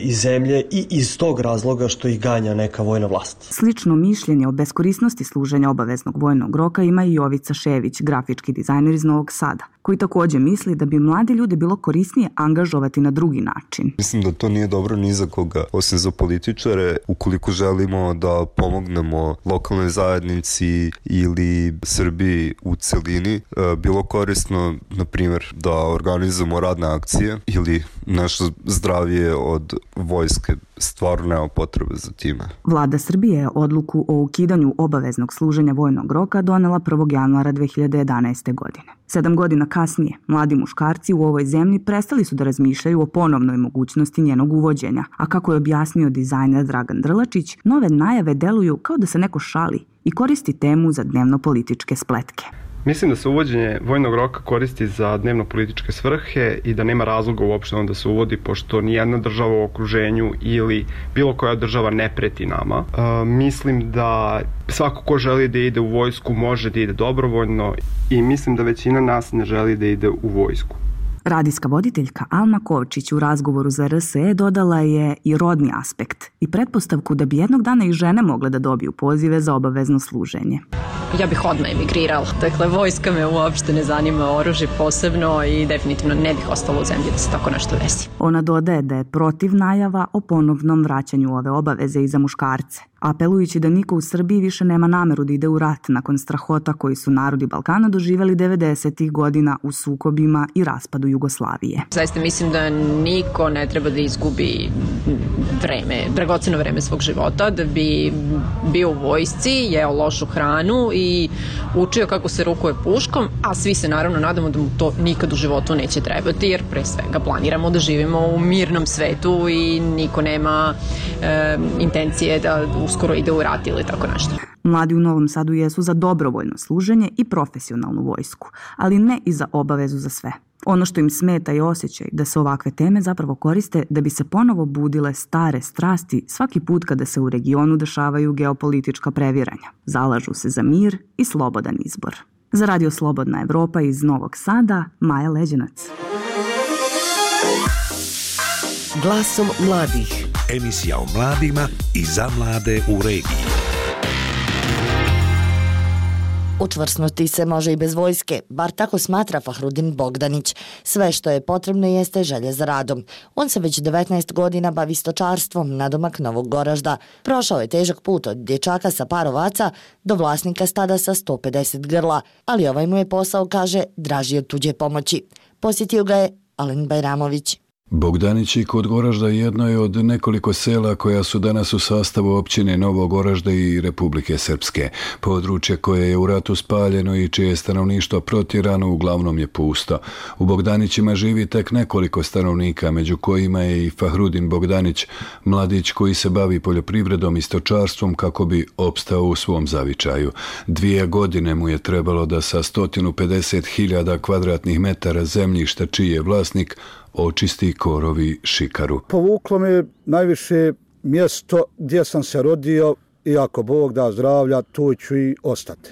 iz zemlje i iz tog razloga što ih ganja neka vojna vlast. Slično mišljenje o beskorisnosti služenja obaveznog vojnog roka ima i Jovica Šević, grafički dizajner iz Novog Sada, koji također misli da bi mladi ljudi bilo korisnije angažovati na drugi način. Mislim da to nije dobro ni za koga, osim za političare. Ukoliko želimo da pomognemo lokalnoj zajednici ili Srbiji u celini, bilo korisno, na primjer, da organizujemo radne akcije ili nešto zdravije od vojske. Stvarno nema potrebe za time. Vlada Srbije je odluku o ukidanju obaveznog služenja vojnog roka donela 1. januara 2011. godine. 7 godina kasnije, mladi muškarci u ovoj zemlji prestali su da razmišljaju o ponovnoj mogućnosti njenog uvođenja, a kako je objasnio dizajner Dragan Drlačić, nove najave deluju kao da se neko šali i koristi temu za dnevno-političke spletke. Mislim da se uvođenje vojnog roka koristi za dnevno-političke svrhe i da nema razloga uopšte da se uvodi, pošto nijedna država u okruženju ili bilo koja država ne preti nama. Mislim da svako ko želi da ide u vojsku može da ide dobrovoljno i mislim da većina nas ne želi da ide u vojsku. Radijska voditeljka Alma Kovčić u razgovoru za RSE dodala je i rodni aspekt i pretpostavku da bi jednog dana i žene mogle da dobiju pozive za obavezno služenje. Ja bih odmah emigrirala. Dakle, vojska me uopšte ne zanima, oružje posebno i definitivno ne bih ostala u zemlji da se tako nešto desi. Ona dodaje da je protiv najava o ponovnom vraćanju ove obaveze i za muškarce, apelujući da niko u Srbiji više nema nameru da ide u rat nakon strahota koji su narodi Balkana doživjeli 90-ih godina u sukobima i raspadu Jugoslavije. Zaista mislim da niko ne treba da izgubi dragoceno vreme svog života, da bi bio u vojsci, jeo lošu hranu i učio kako se rukuje puškom, a svi se naravno nadamo da mu to nikad u životu neće trebati, jer pre svega planiramo da živimo u mirnom svetu i niko nema intencije da uskoro ide u rat ili tako nešto. Mladi u Novom Sadu jesu za dobrovoljno služenje i profesionalnu vojsku, ali ne i za obavezu za sve. Ono što im smeta je osjećaj da se ovakve teme zapravo koriste da bi se ponovo budile stare strasti svaki put kada se u regionu dešavaju geopolitička previranja. Zalažu se za mir i slobodan izbor. Za Radio Slobodna Evropa iz Novog Sada, Maja Leđenac. Glasom mladih. Emisija o mladima i za mlade u regiji. Učvrsnuti se može i bez vojske, bar tako smatra Fahrudin Bogdanić. Sve što je potrebno jeste želja za radom. On se već 19 godina bavi stočarstvom nadomak Novog Goražda. Prošao je težak put od dječaka sa par ovaca do vlasnika stada sa 150 grla, ali ovaj mu je posao, kaže, draži od tuđe pomoći. Posjetio ga je Alen Bajramović. Bogdanić i kod Goražda jedno je od nekoliko sela koja su danas u sastavu općine Novog Goražda i Republike Srpske. Područje koje je u ratu spaljeno i čije je stanovništvo protjerano uglavnom je pusto. U Bogdanićima živi tek nekoliko stanovnika, među kojima je i Fahrudin Bogdanić, mladić koji se bavi poljoprivredom i stočarstvom kako bi opstao u svom zavičaju. 2 godine mu je trebalo da sa 150.000 kvadratnih metara zemljišta čiji je vlasnik očisti korovi šikaru. Povuklo me najviše mjesto gdje sam se rodio i ako Bog da zdravlja, tu ću i ostati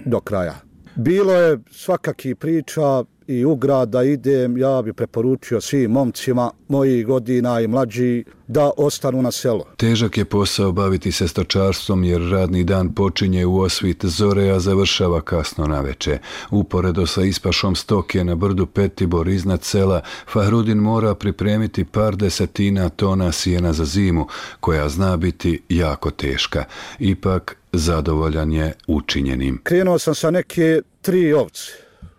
do kraja. Bilo je svakakih priča i u grad da idem, ja bi preporučio svim momcima mojih godina i mlađi da ostanu na selo. Težak je posao baviti se stočarstvom jer radni dan počinje u osvit zore, a završava kasno naveče. Uporedo sa ispašom stoke na brdu Petibor iznad sela, Fahrudin mora pripremiti par desetina tona sjena za zimu, koja zna biti jako teška. Ipak zadovoljan je učinjenim. Krenuo sam sa neke 3 ovce.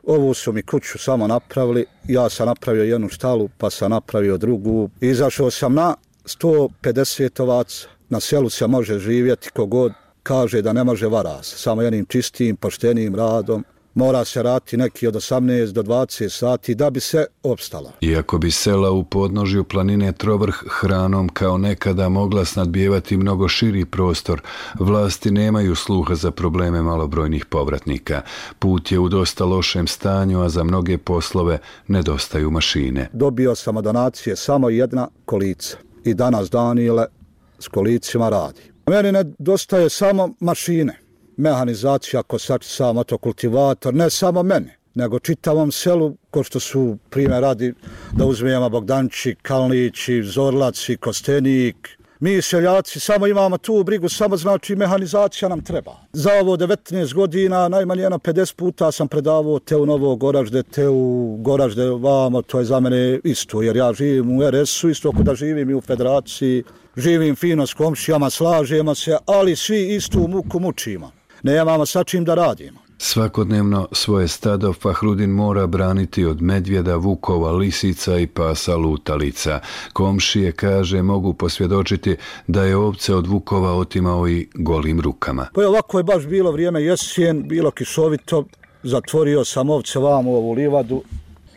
Ovu su mi kuću samo napravili, ja sam napravio jednu štalu, pa sam napravio drugu. Izašao sam na 150 ovaca. Na selu se može živjeti kogod, kaže da ne može vara se, samo jednim čistim, poštenim radom. Mora se raditi neki od 18 do 20 sati da bi se opstala. Iako bi sela u podnožju planine Trovrh hranom kao nekada mogla snadbijevati mnogo širi prostor, vlasti nemaju sluha za probleme malobrojnih povratnika. Put je u dosta lošem stanju, a za mnoge poslove nedostaju mašine. Dobio sam od donacije samo jedna kolica i danas Danile s kolicima radi. Meni nedostaje samo mašine. Mehanizacija, kosačica, motokultivator, ne samo mene, nego čitavom selu, ko što su primjer radi da uzmijemo Bogdanči, Kalnići, Zorlaci, Kostenik. Mi seljaci samo imamo tu brigu, samo znači mehanizacija nam treba. Za ovo 19 godina najmanje 50 puta sam predavao te u Novo Goražde, te u Goražde vamo, to je za mene isto, jer ja živim u RS-u, isto ako da živim i u Federaciji, živim fino s komšijama, slažemo se, ali svi istu muku mučimo. Nemamo sa čim da radimo. Svakodnevno svoje stado Fahrudin mora braniti od medvjeda, vukova, lisica i pasa lutalica. Komšije, kaže, mogu posvjedočiti da je ovce od vukova otimao i golim rukama. Pa ovako je baš bilo vrijeme jesen, bilo kišovito, zatvorio sam ovce vamo u ovu livadu.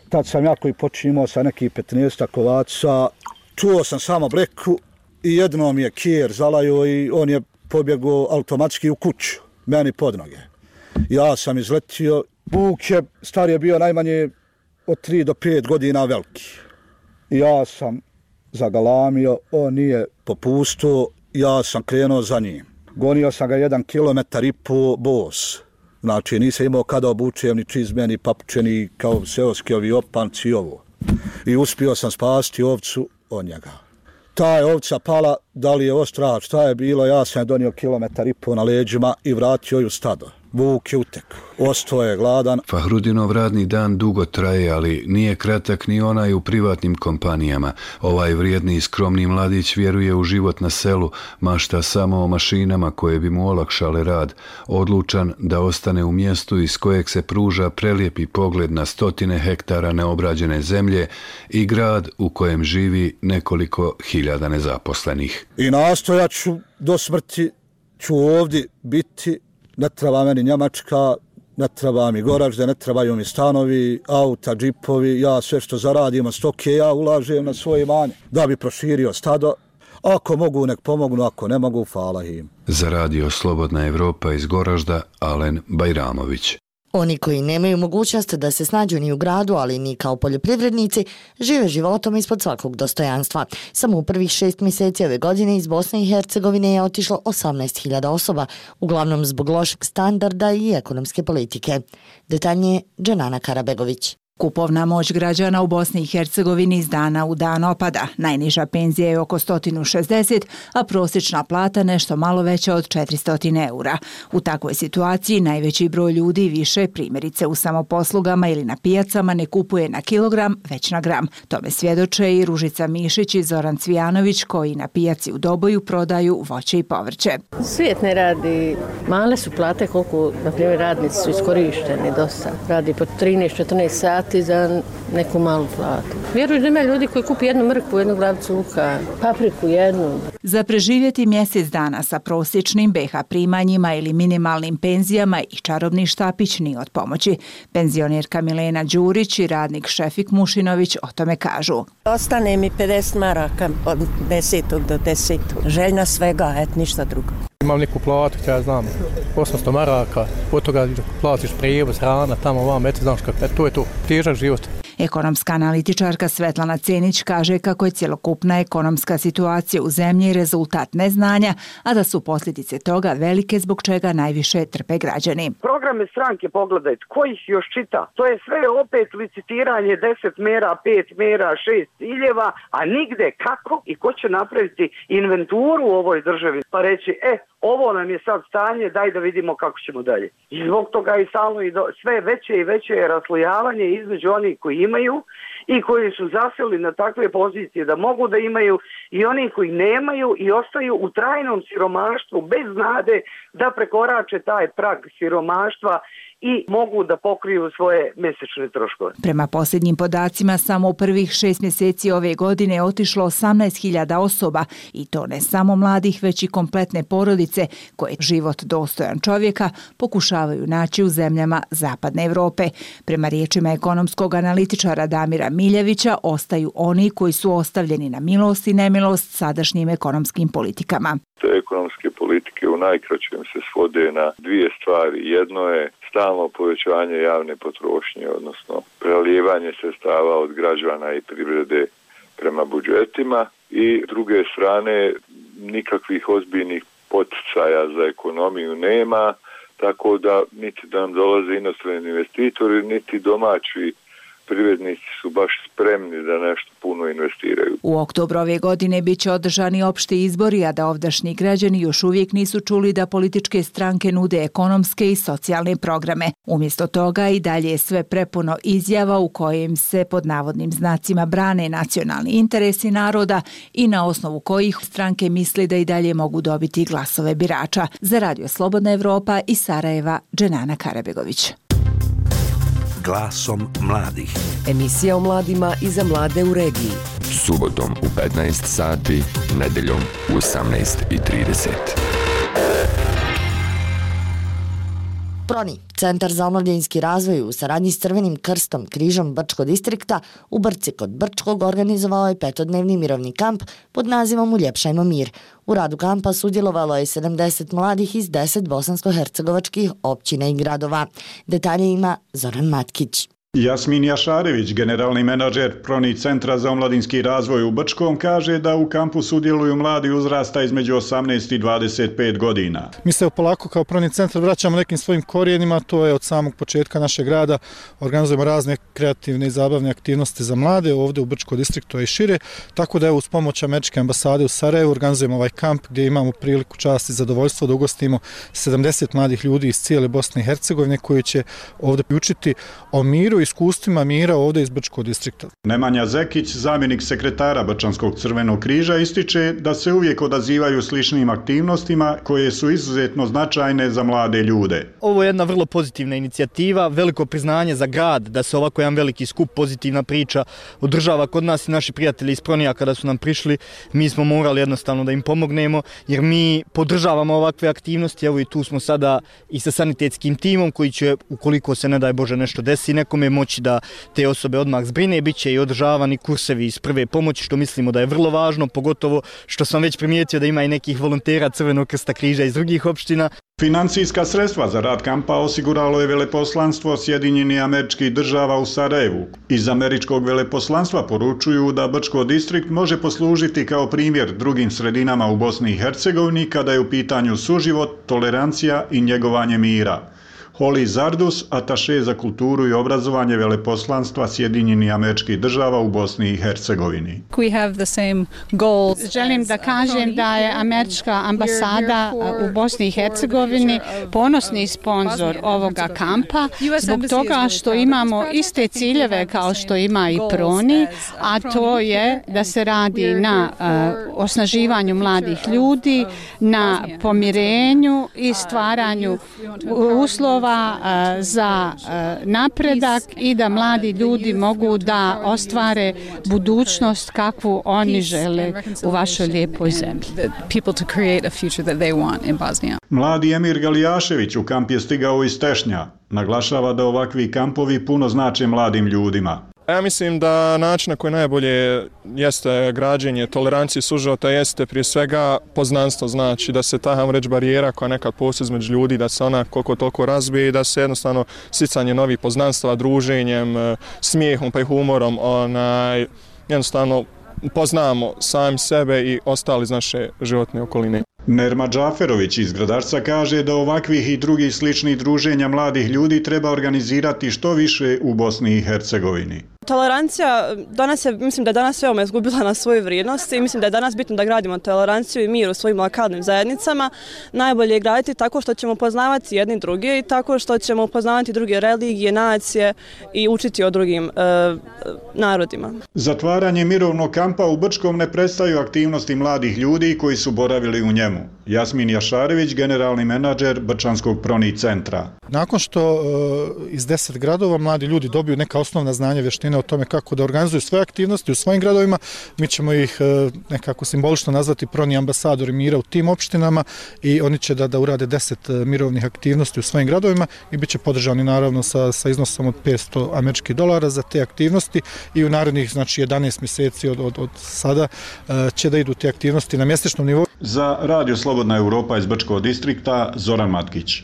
Tad sam jako i počinio sa nekih 15 ovaca. Čuo sam samo bleku i jednom je kijer zalajo i on je pobjegao automatski u kuću, meni pod noge. Ja sam izletio, vuk je, star je bio najmanje od 3 do 5 godina veliki. Ja sam zagalamio, on nije popustio, ja sam krenuo za njim. Gonio sam ga 1,5 kilometar bos. Znači nisam imao kada obučem ni čizme, ni papuče, ni kao seoski ovi opanci i ovo. I uspio sam spasti ovcu od njega. Ta je ovca pala, da li je ostrač, šta je bilo, ja sam je donio 1,5 kilometar na leđima i vratio ju stado. Vuk je utek, ostao je gladan. Fahrudinov radni dan dugo traje, ali nije kratak ni onaj u privatnim kompanijama. Ovaj vrijedni i skromni mladić vjeruje u život na selu, mašta samo o mašinama koje bi mu olakšale rad. Odlučan da ostane u mjestu iz kojeg se pruža prelijepi pogled na 100 hektara neobrađene zemlje i grad u kojem živi nekoliko hiljada nezaposlenih. I nastojat ću do smrti, ću ovdje biti. Ne treba meni Njemačka, ne treba mi Goražde, ne trebaju mi stanovi, auta, džipovi, ja sve što zaradim od stoke, ja ulažem na svoje imanje da bi proširio stado. Ako mogu, nek pomognu, ako ne mogu, hvala im. Za Radio Slobodna Evropa iz Goražda, Alen Bajramović. Oni koji nemaju mogućnost da se snađu ni u gradu, ali ni kao poljoprivrednici, žive životom ispod svakog dostojanstva. Samo u prvih 6 mjeseci ove godine iz Bosne i Hercegovine je otišlo 18.000 osoba, uglavnom zbog lošeg standarda i ekonomske politike. Detaljnije Dženana Karabegović. Kupovna moć građana u Bosni i Hercegovini iz dana u dan opada. Najniža penzija je oko 160, a prosječna plata nešto malo veća od 400 eura. U takvoj situaciji najveći broj ljudi više, primjerice u samoposlugama ili na pijacama, ne kupuje na kilogram, već na gram. Tome svjedoče i Ružica Mišić i Zoran Cvijanović, koji na pijaci u Doboju prodaju voće i povrće. Svijet ne radi, male su plate koliko, na primjer, radnici su iskorišteni dosta. Radi po 13-14 sati za neku malu platu. Vjerujem da ima ljudi koji kupi jednu mrkvu, jednu glavicu luka, papriku jednu. Za preživjeti mjesec dana sa prosječnim BH primanjima ili minimalnim penzijama i čarobni štapić nije od pomoći. Penzionerka Milena Đurić i radnik Šefik Mušinović o tome kažu. Ostane mi 50 maraka od 10. do 10. Željna svega, ništa drugo. Imam neku platu, ja znam, 800 maraka, od toga platiš prijevoz, hrana, tamo vam, znaš kako, to je to, težak život. Ekonomska analitičarka Svetlana Cenić kaže kako je cjelokupna ekonomska situacija u zemlji rezultat neznanja, a da su posljedice toga velike zbog čega najviše trpe građani. Programe stranke pogledajte, ko ih još čita? To je sve opet licitiranje 10 mera, 5 mera, 6 ciljeva, a nigde kako i ko će napraviti inventuru u ovoj državi pa reći, ovo nam je sad stanje, daj da vidimo kako ćemo dalje. I zbog toga i stalno sve veće i veće je raslojavanje između onih koji imaju i koji su zaseli na takve pozicije da mogu da imaju, i oni koji nemaju i ostaju u trajnom siromaštvu bez nade da prekorače taj prag siromaštva i mogu da pokriju svoje mesečne troškove. Prema posljednjim podacima, samo u prvih 6 mjeseci ove godine je otišlo 18.000 osoba, i to ne samo mladih, već i kompletne porodice koje život dostojan čovjeka pokušavaju naći u zemljama Zapadne Europe. Prema riječima ekonomskog analitičara Damira Miljevića, ostaju oni koji su ostavljeni na milost i nemilost sadašnjim ekonomskim politikama. Te ekonomske politike u najkraćem se svode na dvije stvari. Jedno je stalno povećanje javne potrošnje, odnosno prelijevanje sredstava od građana i privrede prema budžetima, i s druge strane nikakvih ozbiljnih poticaja za ekonomiju nema, tako da niti da nam dolaze inostrani investitori, niti domaći privrednici su baš spremni da nešto puno investiraju. U oktobru ove godine bit će održani opšti izbori, a da ovdašnji građani još uvijek nisu čuli da političke stranke nude ekonomske i socijalne programe. Umjesto toga i dalje je sve prepuno izjava u kojim se pod navodnim znacima brane nacionalni interesi naroda i na osnovu kojih stranke misli da i dalje mogu dobiti glasove birača. Za Radio Slobodna Evropa iz Sarajeva, Dženana Karabegović. Glasom mladih. Emisija o mladima i za mlade u regiji. Subotom u 15 sati, nedeljom u 18:30. Proni, Centar za omladinski razvoj u saradnji s Crvenim krstom Križom Brčkog distrikta u Brci kod Brčkog organizovao je 5-dnevni mirovni kamp pod nazivom Uljepšajmo mir. U radu kampa sudjelovalo je 70 mladih iz 10 bosansko-hercegovačkih općina i gradova. Detalje ima Zoran Matkić. Jasmin Jašarević, generalni menadžer Proni Centra za omladinski razvoj u Brčkom, kaže da u kampu sudjeluju mladi uzrasta između 18 i 25 godina. Mi se polako kao Proni Centar vraćamo nekim svojim korijenima, to je od samog početka našeg rada. Organizujemo razne kreativne i zabavne aktivnosti za mlade ovdje u Brčkom distriktu i šire, tako da uz pomoć Američke ambasade u Sarajevu organizujemo ovaj kamp gdje imamo priliku, čast i zadovoljstvo da ugostimo 70 mladih ljudi iz cijele Bosne i Hercegovine koji će ovdje učiti o miru i iskustvima mira ovdje iz Brčkog distrikta. Nemanja Zekić, zamjenik sekretara Brčanskog crvenog križa, ističe da se uvijek odazivaju sličnim aktivnostima koje su izuzetno značajne za mlade ljude. Ovo je jedna vrlo pozitivna inicijativa, veliko priznanje za grad da se ovako jedan veliki skup, pozitivna priča održava kod nas i naši prijatelji iz Pronija kada su nam prišli, mi smo morali jednostavno da im pomognemo jer mi podržavamo ovakve aktivnosti, evo i tu smo sada i sa sanitetskim timom koji će, ukoliko se ne daj Bože nešto desi nekome, moći da te osobe odmah zbrine, bit će i održavani kursevi iz prve pomoći, što mislimo da je vrlo važno, pogotovo što sam već primijetio da ima i nekih volontera Crvenog krsta križa iz drugih opština. Financijska sredstva za rad kampa osiguralo je veleposlanstvo Sjedinjenih Američkih Država u Sarajevu. Iz američkog veleposlanstva poručuju da Brčko distrikt može poslužiti kao primjer drugim sredinama u Bosni i Hercegovini kada je u pitanju suživot, tolerancija i njegovanje mira. Holly Zardus, ataše za kulturu i obrazovanje veleposlanstva Sjedinjenih Američkih Država u Bosni i Hercegovini. Želim da kažem da je Američka ambasada u Bosni i Hercegovini ponosni sponzor ovoga kampa zbog toga što imamo iste ciljeve kao što ima i Proni, a to je da se radi na osnaživanju mladih ljudi, na pomirenju i stvaranju uslova za napredak i da mladi ljudi mogu da ostvare budućnost kakvu oni žele u vašoj lijepoj zemlji. Mladi Emir Galijašević u kamp je stigao iz Tešnja. Naglašava da ovakvi kampovi puno znače mladim ljudima. Ja mislim da način na koji najbolje jeste građenje tolerancije suživota jeste prije svega poznanstvo, znači da se ta hajmo reći barijera koja nekad postoji između ljudi, da se ona koliko toliko razbije i da se jednostavno sticanje novih poznanstva, druženjem, smijehom pa i humorom jednostavno poznamo sami sebe i ostali iz naše životne okoline. Nerma Džaferović iz Gradarca kaže da ovakvih i drugih sličnih druženja mladih ljudi treba organizirati što više u Bosni i Hercegovini. Tolerancija, mislim da je danas veoma izgubila na svoju vrijednost i mislim da je danas bitno da gradimo toleranciju i mir u svojim lokalnim zajednicama. Najbolje je graditi tako što ćemo poznavati jedni druge i tako što ćemo poznavati druge religije, nacije i učiti o drugim narodima. Zatvaranje mirovnog kampa u Brčkom ne prestaju aktivnosti mladih ljudi koji su boravili u njemu. Jasmin Jašarević, generalni menadžer Brčanskog Proni centra. Nakon što iz 10 gradova mladi ljudi dobiju neka osnovna znanja, vještine o tome kako da organizuju svoje aktivnosti u svojim gradovima, mi ćemo ih nekako simbolično nazvati Proni ambasadori mira u tim opštinama i oni će da urade 10 mirovnih aktivnosti u svojim gradovima i bit će podržani naravno sa iznosom od $500 za te aktivnosti i u narednih 11 mjeseci od sada će da idu te aktivnosti na mjesečnom nivou. Za Radio Slobodna Europa iz Brčkog distrikta, Zoran Matkić.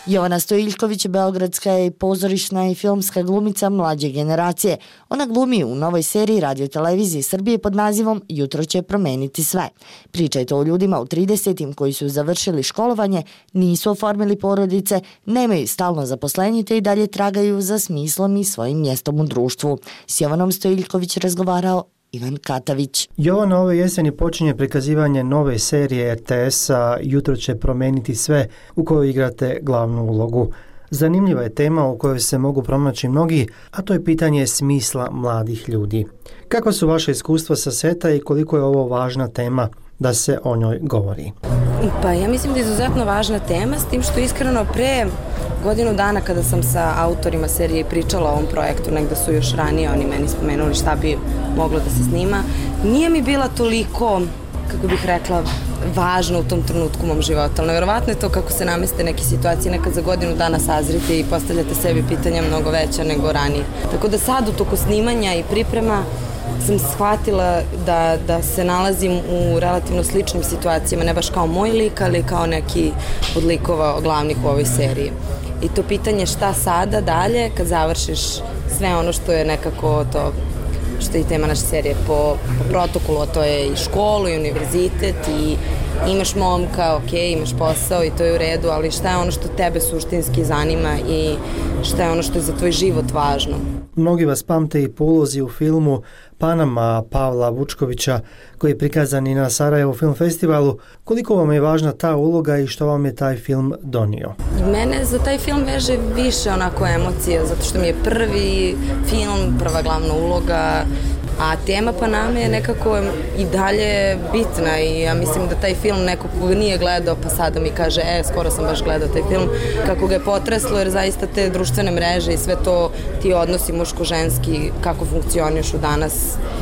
Jovana Stojiljković, beogradska je pozorišna i filmska glumica mlađe generacije. Ona glumi u novoj seriji Radio Televizije Srbije pod nazivom Jutro će promeniti sve. Priča je to o ljudima u 30-im koji su završili školovanje, nisu oformili porodice, nemaju stalno zaposlenje te i dalje tragaju za smislom i svojim mjestom u društvu. S Jovanom Stojiljković razgovarao Ivan Katavić. Jovana, ove jeseni počinje prikazivanje nove serije RTS-a Jutro će promeniti sve, u kojoj igrate glavnu ulogu. Zanimljiva je tema u kojoj se mogu pronaći mnogi, a to je pitanje smisla mladih ljudi. Kako su vaše iskustva sa seta i koliko je ovo važna tema da se o njoj govori? Pa ja mislim da je izuzetno važna tema, s tim što iskreno pre godinu dana kada sam sa autorima serije pričala o ovom projektu, negde su još ranije oni meni spomenuli šta bi moglo da se snima, nije mi bila toliko, kako bih rekla, važno u tom trenutku u mom životu, ali nevjerovatno je to kako se nameste neke situacije, nekad za godinu dana sazrite i postavljate sebi pitanja mnogo veća nego ranije. Tako da sad u toku snimanja i priprema sam shvatila da se nalazim u relativno sličnim situacijama, ne baš kao moj lik, ali kao neki od likova glavnih u ovoj seriji. I to pitanje šta sada dalje kad završiš sve ono što je nekako to što je i tema naše serije po protokolu, to je i školu i univerzitet i imaš momka, ok, imaš posao i to je u redu, ali šta je ono što tebe suštinski zanima i šta je ono što je za tvoj život važno. Mnogi vas pamte i po ulozi u filmu Panama Pavla Vučkovića koji je prikazan i na Sarajevo film festivalu. Koliko vam je važna ta uloga i što vam je taj film donio? Mene za taj film veže više onako emocija, zato što mi je prvi film, prva glavna uloga, a tema Paname je nekako i dalje bitna i ja mislim da taj film neko koga nije gledao pa sada mi kaže skoro sam baš gledao taj film, kako ga je potreslo jer zaista te društvene mreže i sve to ti odnosi muško-ženski kako funkcionišu danas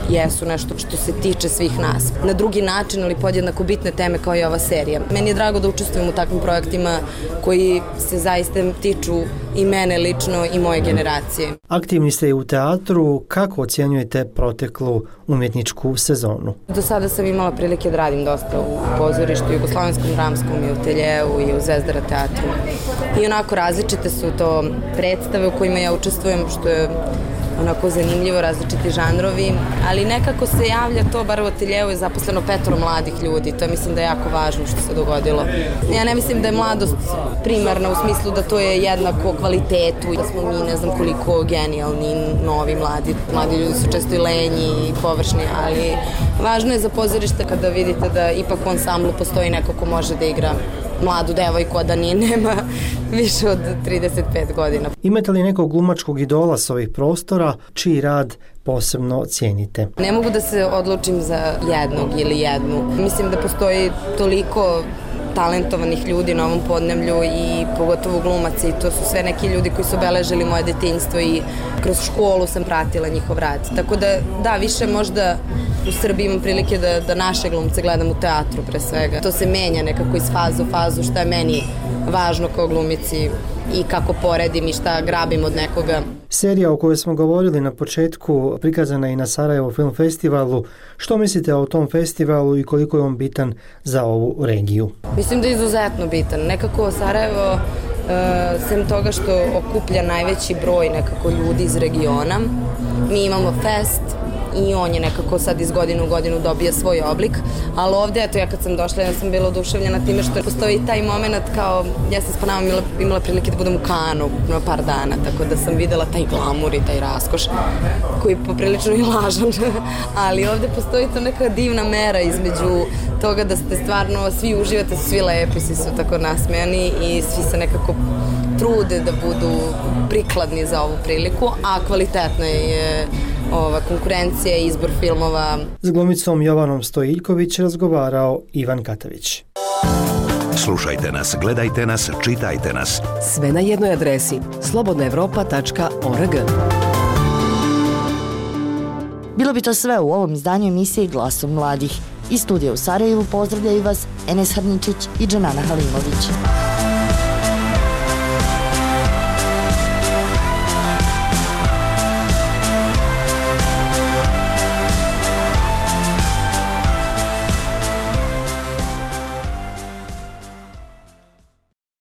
jesu nešto što se tiče svih nas. Na drugi način, ali podjednako bitne teme kao i ova serija. Meni je drago da učestvujem u takvim projektima koji se zaista tiču i mene lično i moje generacije. Aktivni ste i u teatru, kako ocjenjujete proteklu umjetničku sezonu? Do sada sam imala prilike da radim dosta u pozorištu, Jugoslavenskom dramskom i u Teljevu i u Zvezdara teatru. I onako različite su to predstave u kojima ja učestvujem, što je onako zanimljivo, različiti žanrovi, ali nekako se javlja to, bar u Ateljevu je zaposleno 5 mladih ljudi, to mislim da je jako važno što se dogodilo. Ja ne mislim da je mladost primarna u smislu da to je jednako kvalitetu, da smo mi ne znam koliko genijalni, novi, mladi ljudi su često i lenji i površni, ali važno je za pozorište kada vidite da ipak u ansamblu postoji neko ko može da igra mladu devojku, a da nema više od 35 godina. Imate li nekog glumačkog idola s ovih prostora, čiji rad posebno cijenite? Ne mogu da se odlučim za jednog ili jednu. Mislim da postoji toliko talentovanih ljudi na ovom podneblju i pogotovo glumaca i to su sve neki ljudi koji su obeležili moje detinjstvo i kroz školu sam pratila njihov rad. Tako da, više možda u Srbiji imam prilike da naše glumce gledam u teatru pre svega. To se menja nekako iz faze u fazu šta je meni važno kao glumici i kako poredim i šta grabim od nekoga. Serija o kojoj smo govorili na početku prikazana je i na Sarajevo film festivalu. Što mislite o tom festivalu i koliko je on bitan za ovu regiju? Mislim da je izuzetno bitan. Nekako Sarajevo, sem toga što okuplja najveći broj nekako ljudi iz regiona, mi imamo fest i on je nekako sad iz godine u godinu dobija svoj oblik, ali ovde, eto, ja kad sam došla, ja sam bila oduševljena time što postoji taj moment kao, ja sam s Panamom imala prilike da budem u Kanu na par dana, tako da sam videla taj glamur i taj raskoš, koji je poprilično i lažan, ali ovde postoji to neka divna mera između toga da ste stvarno, svi uživate, svi lepi, svi su tako nasmejani i svi se nekako trude da budu prikladni za ovu priliku, a kvalitetna je konkurencija i izbor filmova. S glumicom Jovanom Stojiljković razgovarao Ivan Katavić. Slušajte nas, gledajte nas, čitajte nas. Sve na jednoj adresi slobodnaevropa.org. Bilo bi to sve u ovom izdanju emisije Glasom mladih. Iz studija u Sarajevu pozdravljaju vas Enes Hrničić i Džanana Halimović.